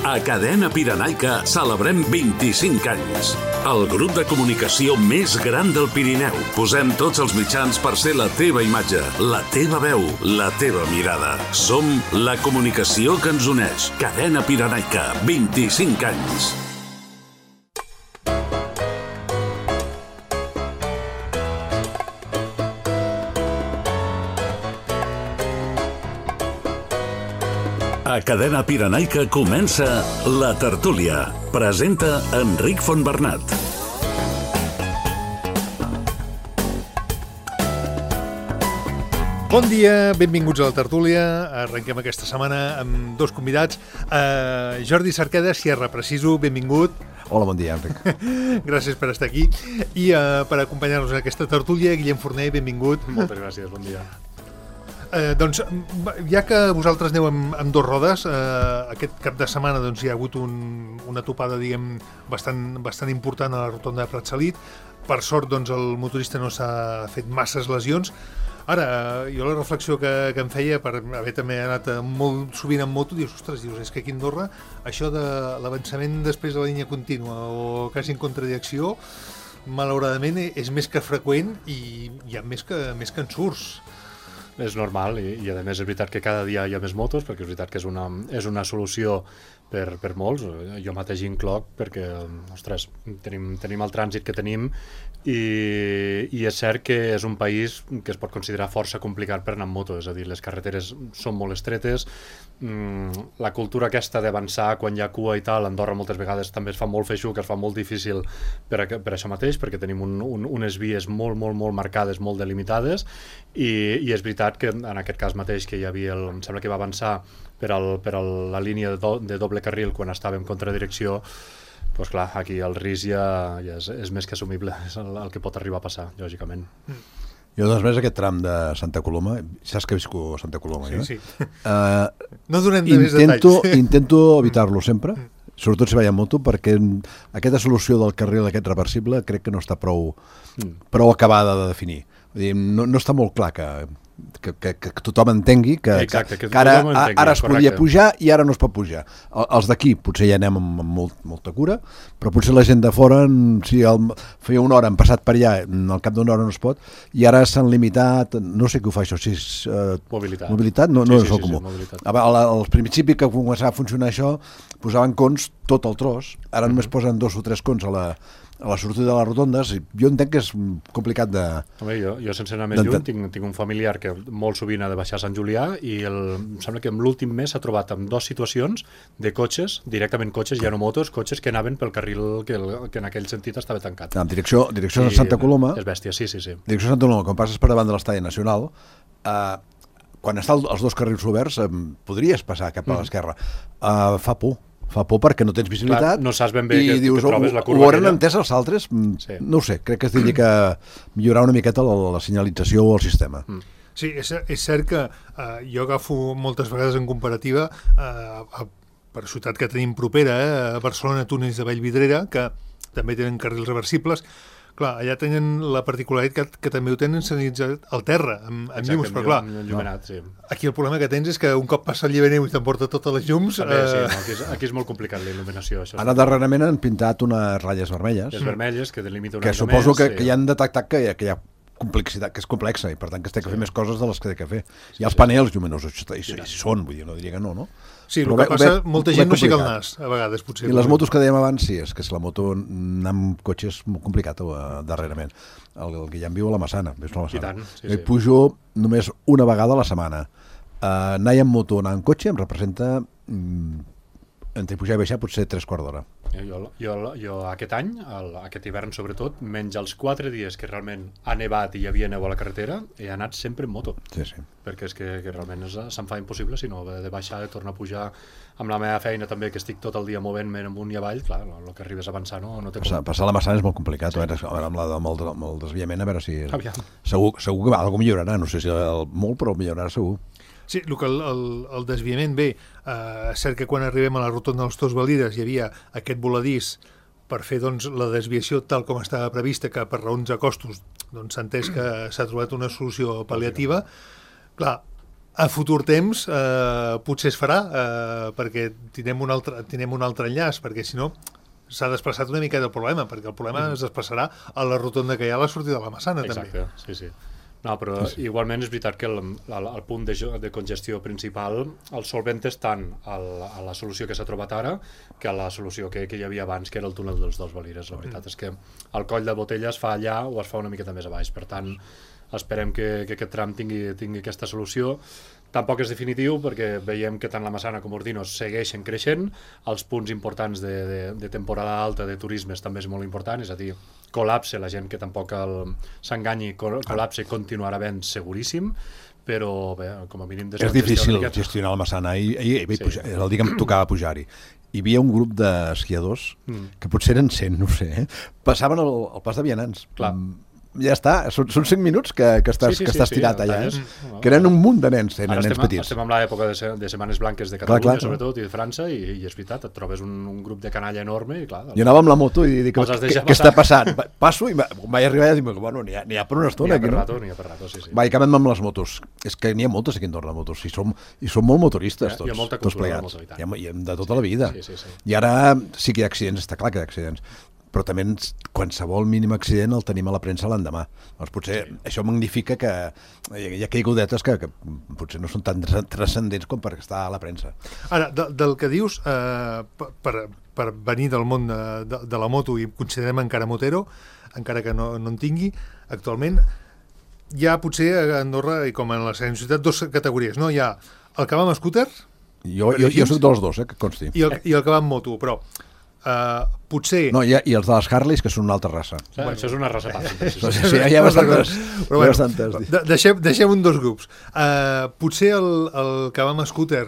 A Cadena Pirenaica celebrem 25 anys. El grup de comunicació més gran del Pirineu. Posem tots els mitjans per ser la teva imatge, la teva veu, la teva mirada. Som la comunicació que ens uneix. Cadena Pirenaica, 25 anys. A Cadena Pirenaica comença La Tertúlia. Presenta Enric Fontbernat. Bon dia, benvinguts a La Tertúlia. Arrenquem aquesta setmana amb dos convidats. Jordi Cerqueda, Sierra Preciso, benvingut. Hola, bon dia, Enric. Gràcies per estar aquí. I per acompanyar-nos en aquesta tertúlia, Guillem Forner, benvingut. Moltes gràcies, bon dia. Doncs, ja que vosaltres aneu amb dos rodes, aquest cap de setmana doncs, hi ha hagut una topada, diguem, bastant important a la rotonda de Pratsalit. Per sort, doncs, el motorista no s'ha fet masses lesions. Ara, jo la reflexió que em feia, per haver també anat molt sovint en moto, dius, és que aquí a Andorra això de l'avançament després de la línia contínua o quasi en contradirecció, malauradament és més que freqüent i hi ha més que ensurts. És normal i a més és veritat que cada dia hi ha més motos, perquè és veritat que és una solució per molts. Jo mateix incloc perquè, ostres, tenim el trànsit que tenim i és cert que és un país que es pot considerar força complicat per anar amb moto, és a dir, les carreteres són molt estretes, la cultura aquesta d'avançar quan hi ha cua i tal, a Andorra moltes vegades també es fa molt feixuc, es fa molt difícil per això mateix, perquè tenim unes vies molt marcades, molt delimitades, i és veritat que en aquest cas mateix que hi havia, em sembla que va avançar per la línia de doble carril quan estava en contradirecció, doncs clar, aquí el risc ja és més que assumible, és el que pot arribar a passar, lògicament. Jo, doncs, més aquest tram de Santa Coloma, saps que visco a Santa Coloma, sí, sí. No donem de més detalls. Intento evitar-lo sempre, sobretot si vaig en moto, perquè aquesta solució del carril aquest reversible crec que no està prou acabada de definir. Vull dir, no està molt clar que tothom entengui que ara es podia pujar i ara no es pot pujar. Els d'aquí potser ja anem amb molta cura, però potser la gent de fora, si feia una hora, han passat per allà, al cap d'una hora no es pot, i ara s'han limitat, no sé què ho fa això, si és mobilitat, no és el comú. Al principi que començava a funcionar això, posaven cons tot el tros, ara només posen 2 o 3 cons a la sortida de les rotondes, i jo entenc que és complicat de... Home, jo sense anar més lluny tinc un familiar que molt sovint ha de baixar a Sant Julià i em sembla que en l'últim mes s'ha trobat en 2 situacions de cotxes, directament cotxes, ja no motos, cotxes que anaven pel carril que en aquell sentit estava tancat. En direcció de Santa Coloma... És bèstia, sí. Direcció de Santa Coloma, quan passes per davant de l'estadi nacional, quan estan els 2 carrils oberts, podries passar cap a l'esquerra. Fa por perquè no tens visibilitat. Clar, no saps ben bé que trobes la curva. Ho hauran entès els altres? Sí. No ho sé, crec que es diria que millorar una miqueta la senyalització o el sistema. Sí, és cert que jo agafo moltes vegades en comparativa per ciutat que tenim propera, a Barcelona, Túnez de Vallvidrera, que també tenen carrils reversibles. Clar, allà tenen la particularitat que també ho tenen senyalitzat al terra, amb llums, però clar, aquí el problema que tens és que un cop passa el llevaneu i t'emporta totes les llums... Aquí és molt complicat la il·luminació. Ara darrerament han pintat unes ratlles vermelles. Les vermelles, que delimiten una mica més. Que suposo que ja han detectat que hi ha complexitat, que és complexa, i per tant que es té que fer més coses de les que té que fer. Hi ha els panels lluminosos, i són, vull dir, no diria que no? Sí, el que passa, molta gent no aixeca el nas, a vegades, potser. I les motos que dèiem abans, sí, és que la moto anar amb cotxe és molt complicat darrerament. El Guillem viu a la Massana, ves a la Massana. Jo hi pujo només una vegada a la setmana. Anar amb moto o anar amb cotxe em representa, entre pujar i baixar, potser 3/4 d'hora. Jo aquest any, aquest hivern sobretot, menys els 4 dies que realment ha nevat i hi havia neu a la carretera, he anat sempre en moto. Sí. Perquè és que realment se'm fa impossible, si no, de baixar, de tornar a pujar amb la meva feina també, que estic tot el dia movent-me amunt i avall, clar, el que arribes a avançar no té com... Passar la Massana és molt complicat, a veure, amb el desviament, a veure si... Segur que alguna cosa millorarà, no sé si molt, però millorarà segur. Sí, el desviament ve, cert que quan arribem a la rotonda dels Tos Valides hi havia aquest voladís per fer doncs, la desviació tal com estava prevista, que per raons de costos s'ha entès que s'ha trobat una solució pal·liativa. Clar, A futur temps potser es farà, perquè tindrem un altre enllaç, perquè si no s'ha desplaçat una mica del problema, perquè el problema es desplaçarà a la rotonda que hi ha a la sortida de la Massana. Exacte, també. sí. No, però igualment és veritat que el punt de congestió principal el solventes tant a la solució que s'ha trobat ara que a la solució que hi havia abans, que era el túnel dels Dos Valires. La veritat és que el coll de botella es fa allà o es fa una miqueta més a baix. Per tant, esperem que aquest tram tingui aquesta solució. Tampoc és definitiu perquè veiem que tant la Massana com Ordinos segueixen creixent, els punts importants de temporada alta de turismes també és molt important, és a dir, col·lapse, la gent que tampoc s'enganyi, col·lapse continuarà ben seguríssim, però bé, com a mínim... És difícil gestionar la Massana, el dia que em tocava pujar-hi. Hi havia un grup d'esquiadors que potser eren 100, no ho sé, passaven el pas de vianants. Clar. Ja està, són 5 minuts que estàs tirat allà, que eren un munt de nens, nens petits. Estem en l'època de Setmanes Blanques de Catalunya, sobretot, i de França, i és veritat, et trobes un grup de canalla enorme, i clar... Jo anava amb la moto i dic, què està passant? Passo i vaig arribar i dic, bueno, n'hi ha per una estona. N'hi ha per rato, sí. Vaig acabant amb les motos. És que n'hi ha moltes aquí entorn de motos, i som molt motoristes tots. Hi ha molta cultura de motoritat. Hi ha de tota la vida. Sí. I ara sí que hi ha accidents, està clar que hi ha accidents, però també qualsevol mínim accident el tenim a la premsa l'endemà. Doncs potser això magnifica que hi ha caigudetes que potser no són tan transcendents com per estar a la premsa. Ara, del que dius, per venir del món de la moto i considerem encara motero, encara que no en tingui actualment, hi ha potser a Andorra, i com en la Serena Ciutat, 2 categories, no? Hi ha el que va amb scooter... Jo soc dels dos, que consti. I el que va amb moto, però... potser... No, i els de les Harleys, que són una altra raça. Això és una raça fàcil. Sí, hi ha bastantes. Però bueno, deixem un 2 grups. Potser el que va amb scooter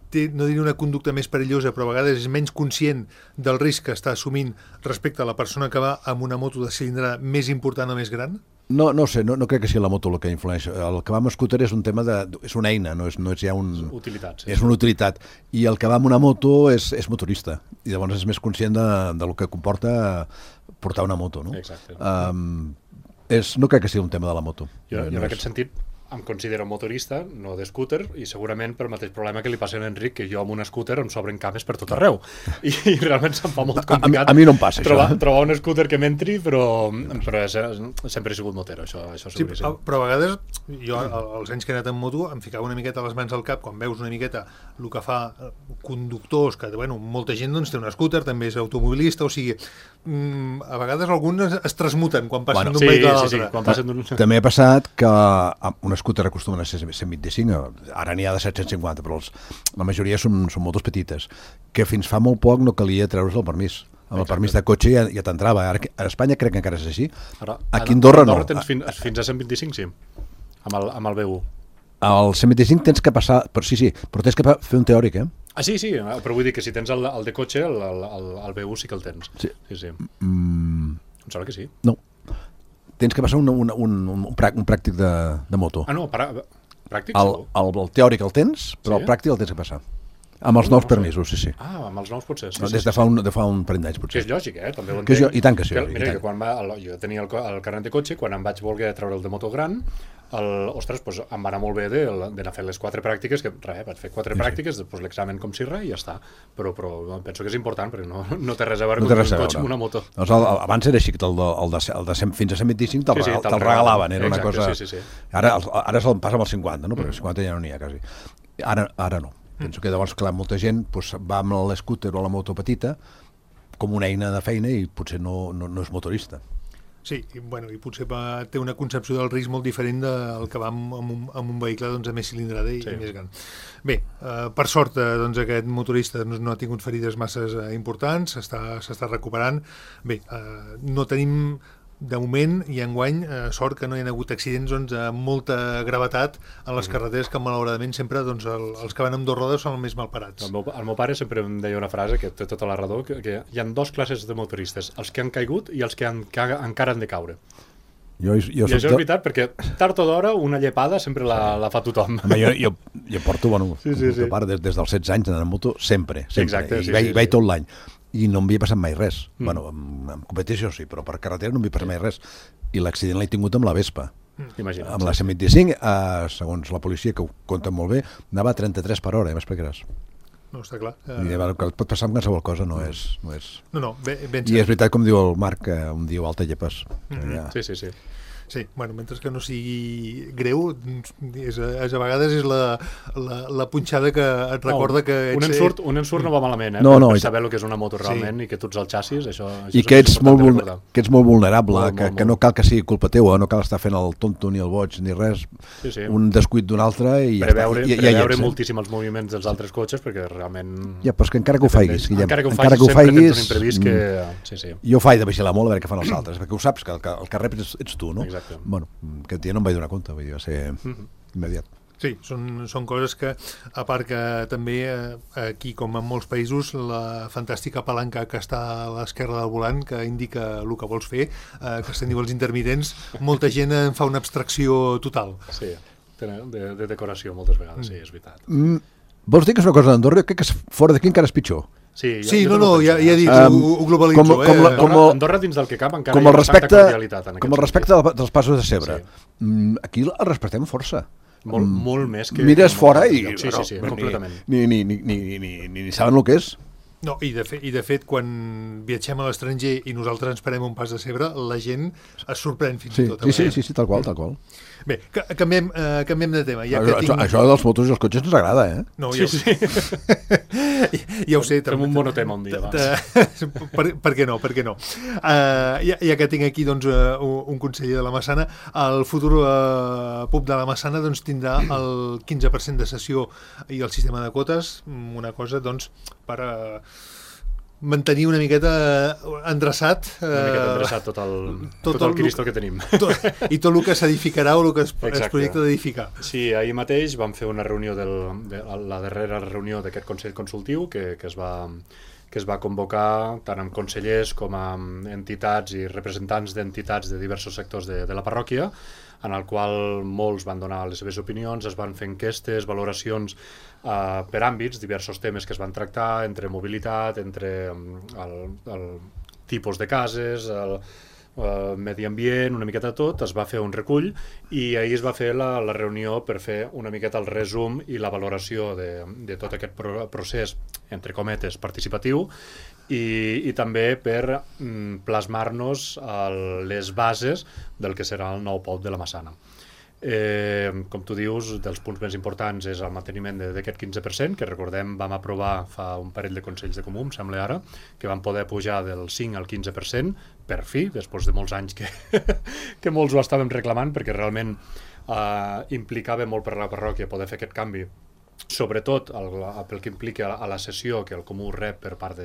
té, no diré una conducta més perillosa, però a vegades és menys conscient del risc que està assumint respecte a la persona que va amb una moto de cilindrada més important o més gran? No sé, no crec que sigui la moto el que influeix. El que va amb scooter és un tema és una eina, no és ja un... Utilitat, sí. És una utilitat. I el que va amb una moto és motorista. I llavors és més conscient del que comporta portar una moto, no? Exacte. No crec que sigui un tema de la moto. Jo en aquest sentit em considero motorista, no de scooter, i segurament per el mateix problema que li passa a Enric, que jo amb un scooter em s'obren cames per tot arreu. I realment se'm fa molt complicat a mi no em passa trobar un scooter que m'entri, però sempre he sigut motero, això seguríssim. Sí, però a vegades, jo als anys que he anat en moto, em ficava una miqueta les mans al cap, quan veus una miqueta el que fa conductors, que bueno, molta gent doncs, té un scooter, també és automobilista, o sigui, a vegades alguns es transmuten quan passen d'un vehicle a l'altre. També ha passat que un scooter acostumen a ser 125, ara n'hi ha de 750, però la majoria són motos petites, que fins fa molt poc no calia treure's el permís. Amb el permís de cotxe ja t'entrava. Ara, a Espanya crec que encara és així. Aquí a Andorra no. Tens fins a 125, sí, amb el B1. El 125 tens que passar... però tens que fer un teòric, Sí, però vull dir que si tens el de cotxe, el B1 sí que el tens. Sí. Em sembla que sí. No. Tens que passar un pràctic de moto. No, pràctic? El teòric el tens, però el pràctic el tens que passar. Amb els nous permisos, sí. Amb els nous potser. Des de fa un parell d'anys, potser. Que és lògic, també ho entenc. I tant que sí. Mira, que quan jo tenia el carnet de cotxe, quan em vaig voler treure el de moto gran, ostres, em va anar molt bé d'anar a fer les 4 pràctiques, que vaig fer 4 pràctiques, després l'examen com si res i ja està. Però penso que és important, perquè no té res a veure amb un cotxe amb una moto. Abans era així, el de fins a 125 te'l regalaven, era una cosa... Ara se'l passa amb el 50, perquè el 50 ja no n'hi ha, quasi. Ara no. Penso que llavors, clar, molta gent va amb l'escúter o la moto petita com una eina de feina i potser no és motorista. Sí, i potser té una concepció del risc molt diferent del que va amb un vehicle de més cilindrada i més gran. Bé, per sort aquest motorista no ha tingut ferides massa importants, s'està recuperant. Bé, no tenim de moment i enguany sort que no hi ha hagut accidents amb molta gravetat en les carreteres, que malauradament sempre els que van amb 2 rodes són els més malparats. El meu pare sempre em deia una frase que té tota la raó, que hi ha 2 classes de motoristes, els que han caigut i els que encara han de caure. I això és veritat, perquè tard o d'hora una llepada sempre la fa tothom. Jo porto, pare, des dels 16 anys anant en moto, sempre. Exacte, i vaig tot l'any. I no m'havia passat mai res. En competició sí, però per carretera no m'havia passat mai res. I l'accident l'he tingut amb la Vespa. Imagina't. Amb la C25, segons la policia, que ho compten molt bé, anava a 33 per hora, m'explicaràs. No, està clar. Que pot passar amb qualsevol cosa, no és... No, ben I és veritat, com diu el Marc, que un dia o altre llepes. Sí. Sí, bueno, mentre que no sigui greu, a vegades és la punxada que et recorda que ets... Un ensurt no va malament, per saber el que és una moto realment i que tu ets al xassis, això i que ets molt vulnerable, que no cal que sigui culpa teua, no cal estar fent el tonto ni el boig ni res, un descuit d'un altre i preveure moltíssim els moviments dels altres cotxes, perquè realment... Ja, però és que encara que ho faiguis, encara que ho faiguis, jo ho faig de vigilar molt a veure què fan els altres, perquè ho saps, que el que reps ets tu, no? Exacte. Bueno, aquest dia no em vaig donar compte, vull dir, va ser immediat. Sí, són coses que, a part que també aquí, com en molts països, la fantàstica palanca que està a l'esquerra del volant, que indica el que vols fer, que es teniu els intermitents, molta gent en fa una abstracció total. Sí, de decoració moltes vegades, sí, és veritat. Vols dir que és una cosa d'Andorra? Crec que fora d'aquí encara és pitjor. Ja he dit, ho globalitzo. Andorra dins del que cap encara hi ha bastanta cordialitat. Com el respecte dels passos de Cebre. Aquí el respectem força. Molt més que... Mires fora i... Sí, completament. Ni saben el que és. No, i de fet, quan viatgem a l'estranger i nosaltres ens parem un pas de Cebre, la gent es sorprèn fins i tot. Sí, tal qual. Bé, canviem de tema. Això dels motos i els cotxes ens agrada, eh? No, ja ho sé. Fem un monotema un dia, va. Per què no? Ja que tinc aquí un conseller de la Massana, el futur pub de la Massana tindrà el 15% de cessió i el sistema de quotes, una cosa per mantenir una miqueta endreçat tot el Cristo que tenim i tot el que s'edificarà o el que es projecta d'edificar. Sí, ahir mateix vam fer una reunió la darrera reunió d'aquest Consell Consultiu que es va convocar tant amb consellers com amb entitats i representants d'entitats de diversos sectors de la parròquia, en el qual molts van donar les seves opinions, es van fer enquestes, valoracions per àmbits, diversos temes que es van tractar, entre mobilitat, entre el tipus de cases, el medi ambient, una miqueta tot, es va fer un recull i ahir es va fer la reunió per fer una miqueta el resum i la valoració de tot aquest procés, entre cometes, participatiu i també per plasmar-nos les bases del que serà el nou POP de la Massana. Com tu dius, dels punts més importants és el manteniment d'aquest 15%, que recordem vam aprovar fa un parell de Consells de Comú, em sembla ara, que van poder pujar del 5 al 15%, per fi, després de molts anys que molts ho estàvem reclamant, perquè realment implicava molt per a la parròquia poder fer aquest canvi, sobretot pel que implica a la cessió que el Comú rep per part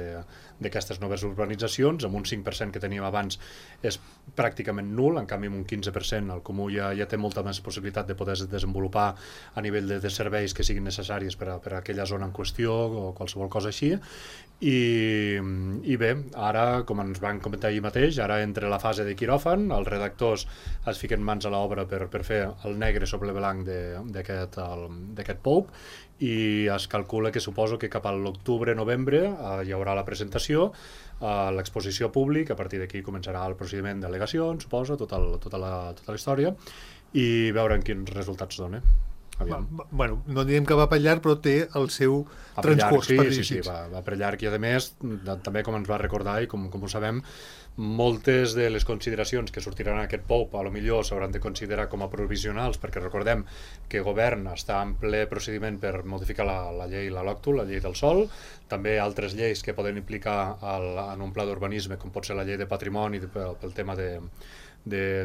d'aquestes noves urbanitzacions. Amb un 5% que teníem abans és pràcticament nul, en canvi amb un 15% el Comú ja té molta més possibilitat de poder desenvolupar a nivell de serveis que siguin necessaris per a aquella zona en qüestió o qualsevol cosa així. I bé, ara, com ens van comentar ahir mateix, ara entre la fase de quiròfan, els redactors es fiquen mans a l'obra per fer el negre sobre blanc d'aquest POUP, i es calcula que suposo que cap a l'octubre-novembre hi haurà la presentació, l'exposició pública, a partir d'aquí començarà el procediment d'al·legacions, suposo, tota la història, i veure quins resultats dona. Bueno, no direm que va per llarg, però té el seu transcurs. Sí, va per llarg, i a més, també com ens va recordar i com ho sabem, moltes de les consideracions que sortiran en aquest POUP a lo millor s'hauran de considerar com a provisionals, perquè recordem que el govern està en ple procediment per modificar la llei, la LOCTU, la llei del sòl, també altres lleis que poden implicar en un pla d'urbanisme, com pot ser la llei de patrimoni pel tema de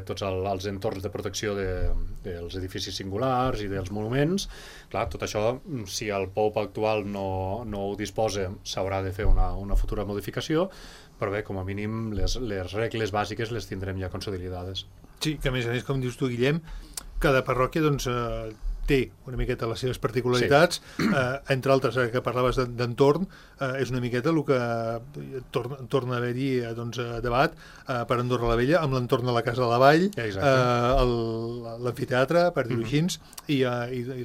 tots els entorns de protecció dels edificis singulars i dels monuments. Clar, tot això, si el POUP actual no ho disposa, s'haurà de fer una futura modificació, però bé, com a mínim les regles bàsiques les tindrem ja consolidades. Sí, que a més, com dius tu, Guillem, cada parròquia té una miqueta les seves particularitats, entre altres, que parlaves d'entorn, és una miqueta el que torna a haver-hi debat per Andorra la Vella, amb l'entorn de la Casa de la Vall, l'amfiteatre, per dir-ho així, i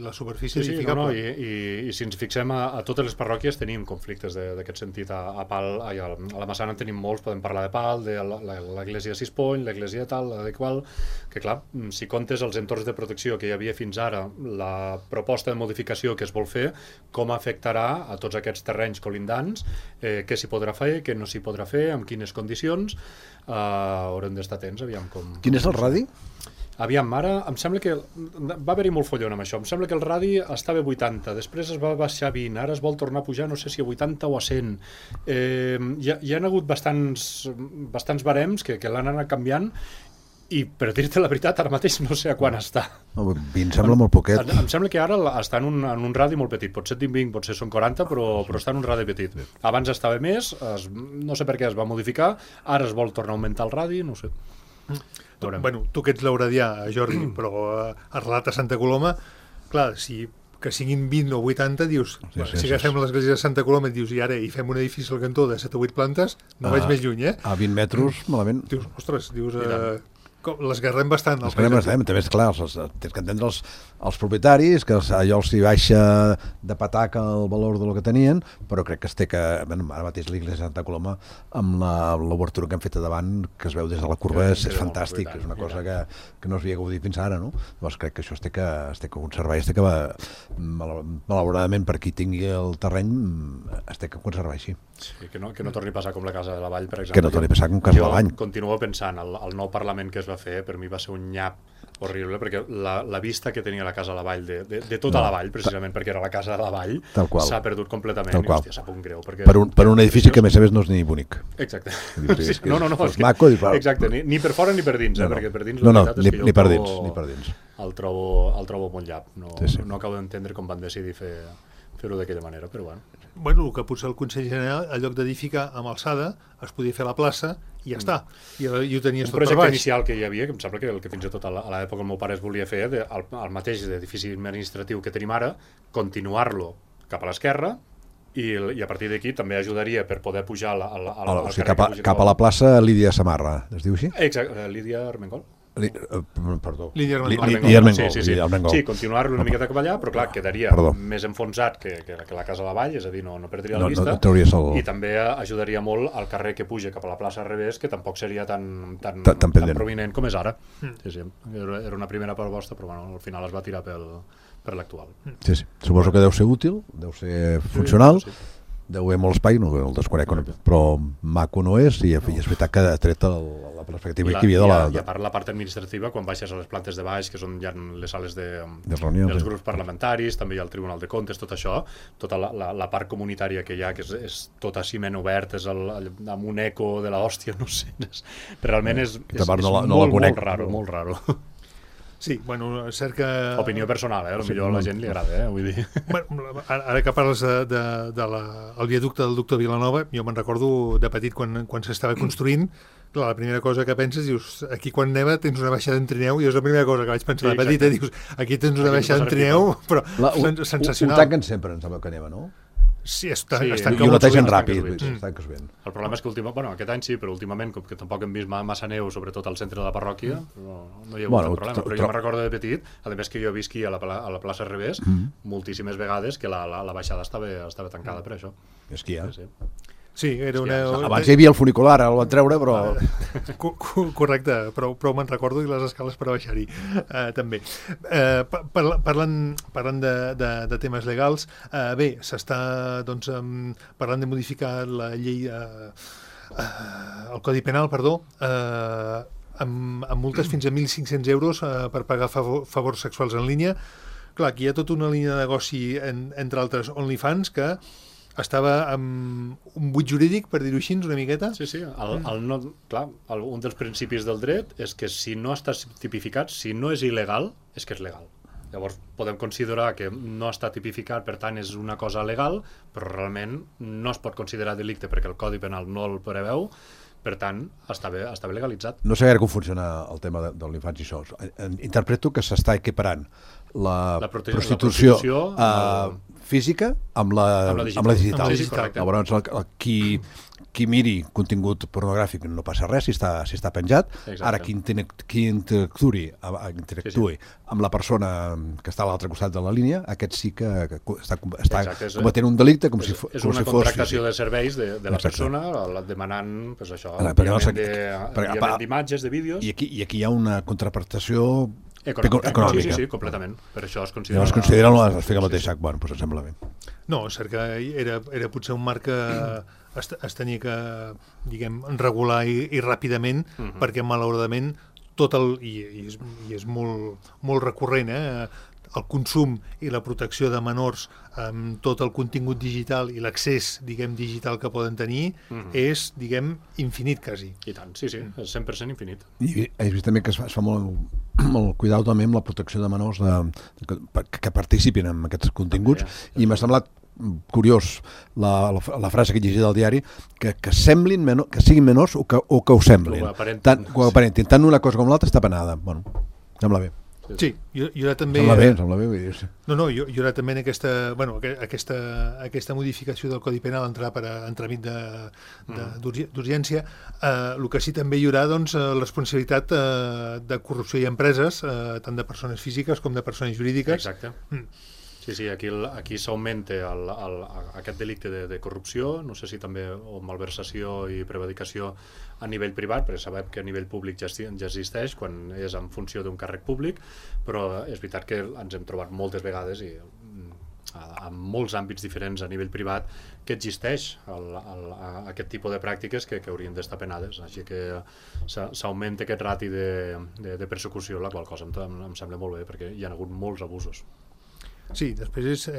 la superfície edificable. I si ens fixem a totes les parròquies tenim conflictes d'aquest sentit. A la Massana tenim molts, podem parlar de Pal, de l'església de Sispony, l'església de tal, de qual, que clar, si comptes els entorns de protecció que hi havia fins ara, la proposta de modificació que es vol fer, com afectarà a tots aquests terrenys colindants, què s'hi podrà fer, què no s'hi podrà fer, amb quines condicions, haurem d'estar atents, aviam com... Quin és el radi? Aviam, ara em sembla que va haver-hi molt follon amb això, em sembla que el radi estava a 80, després es va baixar a 20, ara es vol tornar a pujar, no sé si a 80 o a 100. Hi ha hagut bastants barems que l'han anat canviant, i per dir-te la veritat, ara mateix no sé a quan està. 20 sembla molt poquet. Em sembla que ara està en un radi molt petit, potser tinc 20, potser són 40, però està en un radi petit. Abans estava més, no sé per què es va modificar, ara es vol tornar a augmentar el radi, no sé. Bueno, tu que ets lauradià, Jordi, però arrelat a Santa Coloma, clar, que siguin 20 o 80, dius, si agafem l'església de Santa Coloma i dius, i ara hi fem un edifici al cantó de 7 o 8 plantes, no vaig més lluny, A 20 metres, malament. Dius, ostres, l'esgarrem bastant. També és clar, tens que entendre els propietaris, que allò els hi baixa de pataca el valor del que tenien, però crec que es té que... Ara mateix l'església de Santa Coloma, amb l'obertura que hem fet a davant, que es veu des de la curva, és fantàstic, és una cosa que no s'havia gaudit fins ara, no? Llavors crec que això es té que conservar, es té que, malauradament, per qui tingui el terreny, es té que conservar així. Sí, que no torni a passar com la Casa de la Vall, per exemple. Que no torni a passar com Casa de la Vall. Jo continuo pensant, el nou Parlament que es va fer, per mi va ser un nyap horrible, perquè la vista que tenia la Casa de la Vall, de tota la vall, precisament perquè era la Casa de la Vall, s'ha perdut completament, i hòstia, sap un greu. Per un edifici que, a més a més, no és ni bonic. Exacte. No, és maco. Exacte, ni per fora ni per dins, perquè per dins la veritat és que jo ni per dins. El trobo molt nyap. No acabo d'entendre com van decidir fer-ho d'aquella manera, però bueno. Bueno, el que potser el Consell General, en lloc d'edificar amb alçada, es podia fer a la plaça i ja està. I ho tenies tot per baix. Un projecte inicial que hi havia, que em sembla que el que fins i tot a l'època el meu pare es volia fer, el mateix edifici administratiu que tenim ara, continuar-lo cap a l'esquerra, i a partir d'aquí també ajudaria per poder pujar al carrer. Cap a la plaça Lídia Samarra, es diu així? Exacte, Lídia Armengol. Perdó. Armengol. Sí, continuar-lo una miqueta cap allà, però clar, quedaria més enfonsat que la Casa de la Vall, és a dir, no perdria la vista, i també ajudaria molt al carrer que puja cap a la plaça al revés, que tampoc seria tan prominent com és ara. Sí, era una primera proposta, però bueno, al final es va tirar per l'actual. Sí, suposo que deu ser útil, deu ser funcional, deu haver molt espai, no el desconec, però maco no és, i és veritat que ha tret la perspectiva que hi havia I a part la part administrativa, quan baixes a les plantes de baix, que són ja les sales dels grups parlamentaris, també hi ha el Tribunal de Comptes, tot això, tota la part comunitària que hi ha, que és tot a ciment obert, és amb un eco de l'hòstia, no sé, realment és molt raro. Sí, bueno, cert que... Opinió personal, potser a la gent li agrada, vull dir. Bueno, ara que parles del viaducte del Doctor Vilanova, jo me'n recordo de petit quan s'estava construint, clar, la primera cosa que penses, dius, aquí quan neva tens una baixada en trineu, i és la primera cosa que vaig pensar de petita, dius, aquí tens una baixada en trineu, però sensacional. Ho tanquen sempre, em sembla que neva, no? Sí, i ho netegen ràpid. El problema és que aquest any sí, però últimament, com que tampoc hem vist massa neu, sobretot al centre de la parròquia, no hi ha hagut problema. Però jo me'n recordo de petit, a més que jo visqui a la plaça Revés, moltíssimes vegades que la baixada estava tancada per això. Esquiar. Sí, era una... Abans hi havia el funicular, ara el van treure, però... Correcte, però me'n recordo, i les escales per a baixar-hi, també. Parlant de temes legals, bé, s'està parlant de modificar la llei, el Codi Penal, perdó, amb multes fins a 1.500 euros per pagar favors sexuals en línia. Clar, aquí hi ha tota una línia de negoci, entre altres OnlyFans, que estava amb un buit jurídic, per dir-ho així, una miqueta? Sí. Un dels principis del dret és que si no està tipificat, si no és il·legal, és que és legal. Llavors podem considerar que no està tipificat, per tant és una cosa legal, però realment no es pot considerar delicte perquè el Codi Penal no el preveu, Per tant, està bé legalitzat. No sé gaire com funciona el tema de l'infants i això. Interpreto que s'està equiparant la prostitució física amb la digital. Llavors, qui miri contingut pornogràfic no passa res si està penjat. Ara, qui interactuï amb la persona que està a l'altre costat de la línia, aquest sí que està cometent un delicte com si fos físic. És una contractació de serveis de la persona demanant això, d'imatges, de vídeos. I aquí hi ha una contraprestació econòmica. Sí, completament. Per això es considera... Es considera el fica mateix sac. Bueno, doncs em sembla bé. No, és cert que era potser un marc que es tenia que, diguem, regular i ràpidament, perquè malauradament tot i és molt recurrent, el consum i la protecció de menors amb tot el contingut digital i l'accés, diguem, digital que poden tenir és, diguem, infinit quasi. I tant, sí, és 100% infinit. I he vist també que es fa molt cuidado també amb la protecció de menors que participin en aquests continguts i m'ha semblat curiós la frase que he llegit al diari que siguin menors o que ho semblin, que ho aparentin. Tant una cosa com l'altra està penada. Bueno, sembla bé. Sí, jo ara també... Sembla bé. No, jo ara també en aquesta modificació del Codi Penal entrarà en tràmit d'urgència. El que sí també hi haurà, doncs, la responsabilitat de corrupció i empreses, tant de persones físiques com de persones jurídiques. Exacte. Sí, aquí s'augmenta aquest delicte de corrupció, no sé si també o malversació i prevaricació a nivell privat, perquè sabem que a nivell públic ja existeix quan és en funció d'un càrrec públic, però és veritat que ens hem trobat moltes vegades i en molts àmbits diferents a nivell privat que existeix aquest tipus de pràctiques que haurien d'estar penades, així que s'augmenta aquest rati de persecució, la qual cosa em sembla molt bé perquè hi ha hagut molts abusos. Sí, després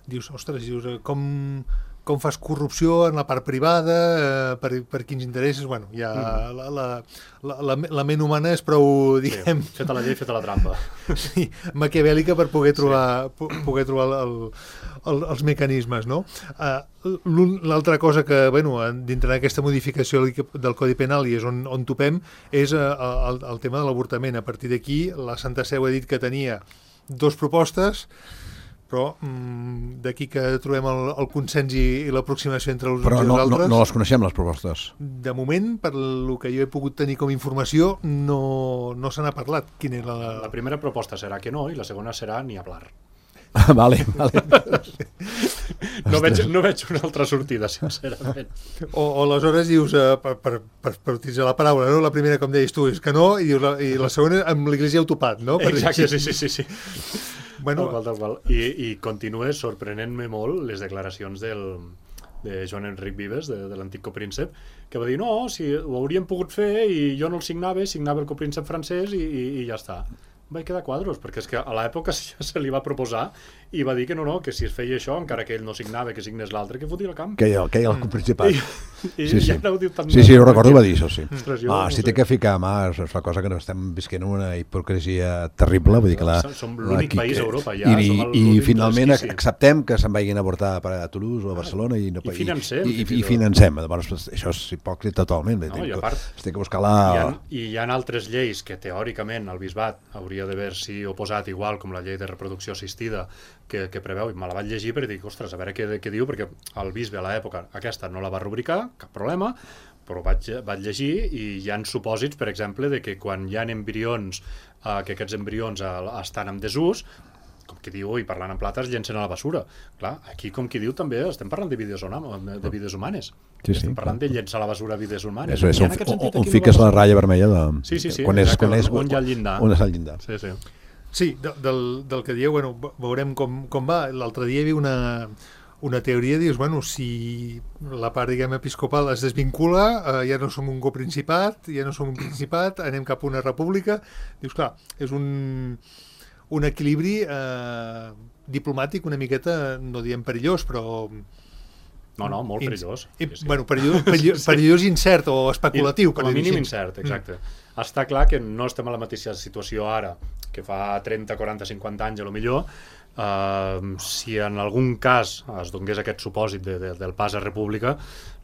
dius, com fas corrupció en la part privada, per quins interessos, bueno, ja la ment humana és prou, diguem... Sí, feta la llei, feta la trampa. Sí, maquiavèlica per poder trobar els mecanismes, no? L'altra cosa que, bueno, dintre d'aquesta modificació del Codi Penal i és on topem, és el tema de l'avortament. A partir d'aquí, la Santa Seu ha dit que tenia 2 propostes, però d'aquí que trobem el consens i l'aproximació entre els uns i els altres... Però no les coneixem, les propostes. De moment, per el que jo he pogut tenir com a informació, no se n'ha parlat. Quina era la primera proposta serà que no, i la segona serà ni hablar. Vale. No veig una altra sortida, sincerament. O aleshores dius, per utilitzar la paraula, no? La primera, com deies tu, és que no, i la segona amb l'Iglésia autopat, no? Exacte, sí. Bueno, tal qual. I continua sorprenent-me molt les declaracions de Joan Enric Vives, de l'antic copríncep, que va dir, no, si ho hauríem pogut fer i jo no el signava el copríncep francès i ja està. Vaig quedar quadros, perquè és que a l'època se li va proposar i va dir que no, que si es feia això, encara que ell no signava, que signés l'altre, que fotia el camp. Que hi ha el Principat. Sí, ho recordo, va dir això, sí. Si té que ficar mà, és una cosa que no estem visquent una hipocresia terrible, vull dir que som l'únic país a Europa, ja. I finalment acceptem que se'n vagin a avortar a Toulouse o a Barcelona i financem. Això és hipòcrita totalment. I a part, es té que buscar la... I hi ha altres lleis que teòricament el bisbat hauria d'haver-s'hi oposat, igual com la llei de reproducció assistida que preveu, i me la vaig llegir perquè dic, ostres, a veure què diu, perquè el bisbe a l'època aquesta no la va rubricar, cap problema, però vaig llegir i hi ha supòsits, per exemple, de que quan hi ha embrions, que aquests embrions estan en desús, com qui diu, i parlant en plata, es llencen a la basura. Clar, aquí, com qui diu, també estem parlant de vides humanes. Estem parlant de llençar a la basura vides humanes. On fiques la ratlla vermella de... Sí, on és on hi ha el llindar. On és el llindar. Sí, del que dieu, bueno, veurem com va. L'altre dia hi havia una teoria, dius, bueno, si la part, diguem, episcopal es desvincula, ja no som un coprincipat, anem cap a una república. Dius, clar, és un equilibri diplomàtic una miqueta, no diem perillós, però... No, molt perillós. Bueno, perillós incert o especulatiu. Com a mínim incert, exacte. Està clar que no estem a la mateixa situació ara, que fa 30, 40, 50 anys, a lo millor, si en algun cas es donés aquest supòsit del pas a república,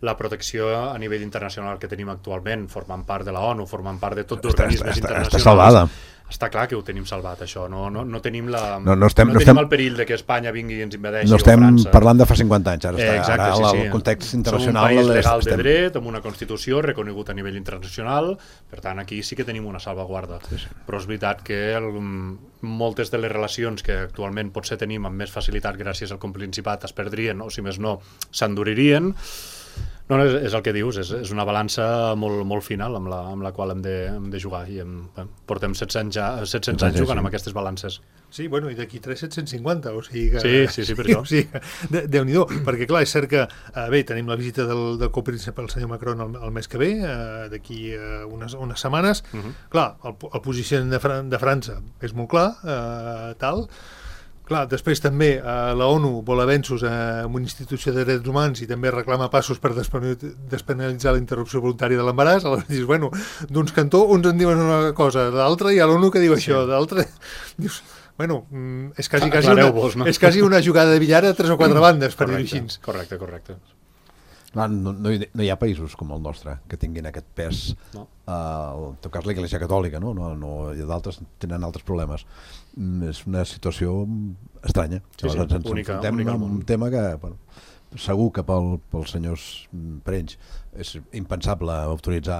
la protecció a nivell internacional que tenim actualment, formant part de la ONU, formant part de tots els organismes internacionals, està salvada. Està clar que ho tenim salvat, això. No tenim tenim el perill de que Espanya vingui i ens invadeixi, no estem o França. parlant de fa 50 anys, ara Exacte, ara sí. el context internacional... Som un país legal de dret, amb una Constitució reconegut a nivell internacional, per tant, aquí sí que tenim una salvaguarda. Sí. Però és veritat que moltes de les relacions que actualment potser tenim amb més facilitat gràcies al Principat es perdrien, o si més no, s'enduririen. No, és el que dius, és una balança molt final amb la qual hem de jugar i portem 700 anys jugant amb aquestes balances. Sí, bueno, i d'aquí 3, 750, o sigui que... Sí, per això. O sigui, Déu-n'hi-do, perquè clar, és cert que, bé, tenim la visita del copríncep, el senyor Macron, el mes que ve, d'aquí unes setmanes. Clar, el posicionament de França és molt clar, tal. Clar, després també la ONU vol avenços en una institució de drets humans i també reclama passos per despenalitzar la interrupció voluntària de l'embaràs. Aleshores dius, bueno, d'uns cantó, uns en diuen una cosa, d'altre hi ha l'ONU que diu això, d'altre... Dius, bueno, és quasi una jugada de billar a 3 o 4 bandes, per dir-ho així. Correcte. No hi ha països com el nostre que tinguin aquest pes, en tot cas l'Església Catòlica, no? I d'altres tenen altres problemes. És una situació estranya. Sí, ens enfrontem amb un tema que segur que pels senyors Perenys és impensable autoritzar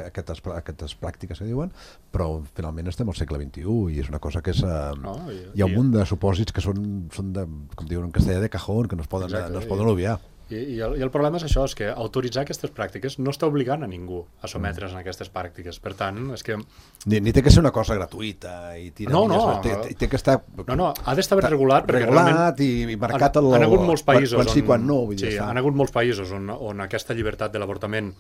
aquestes pràctiques que diuen, però finalment estem al segle XXI i és una cosa que és... Hi ha un munt de supòsits que són de, com diuen en castellà, de cajón, que no es poden obviar. I el problema és això, és que autoritzar aquestes pràctiques no està obligant a ningú a sotmetre's a aquestes pràctiques. Per tant, és que... Ni té que ser una cosa gratuïta i té que estar... No, ha d'estar regulat perquè regulat i marcat han hagut molts països quan sí, quan no. Han hagut molts països on aquesta llibertat de l'avortament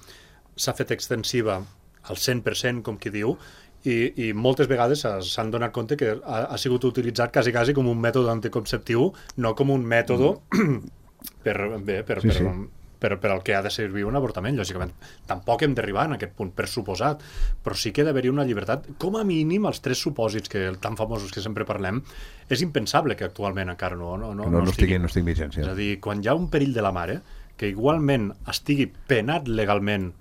s'ha fet extensiva al 100%, com qui diu, i moltes vegades s'han donat compte que ha sigut utilitzat quasi com un mètode anticonceptiu, no com un mètode... per al que ha de servir un avortament, lògicament. Tampoc hem d'arribar en aquest punt, per suposat, però sí que ha d'haver-hi una llibertat, com a mínim els 3 supòsits tan famosos que sempre parlem, és impensable que actualment encara no estiguin vigents. És a dir, quan hi ha un perill de la mare, que igualment estigui penat legalment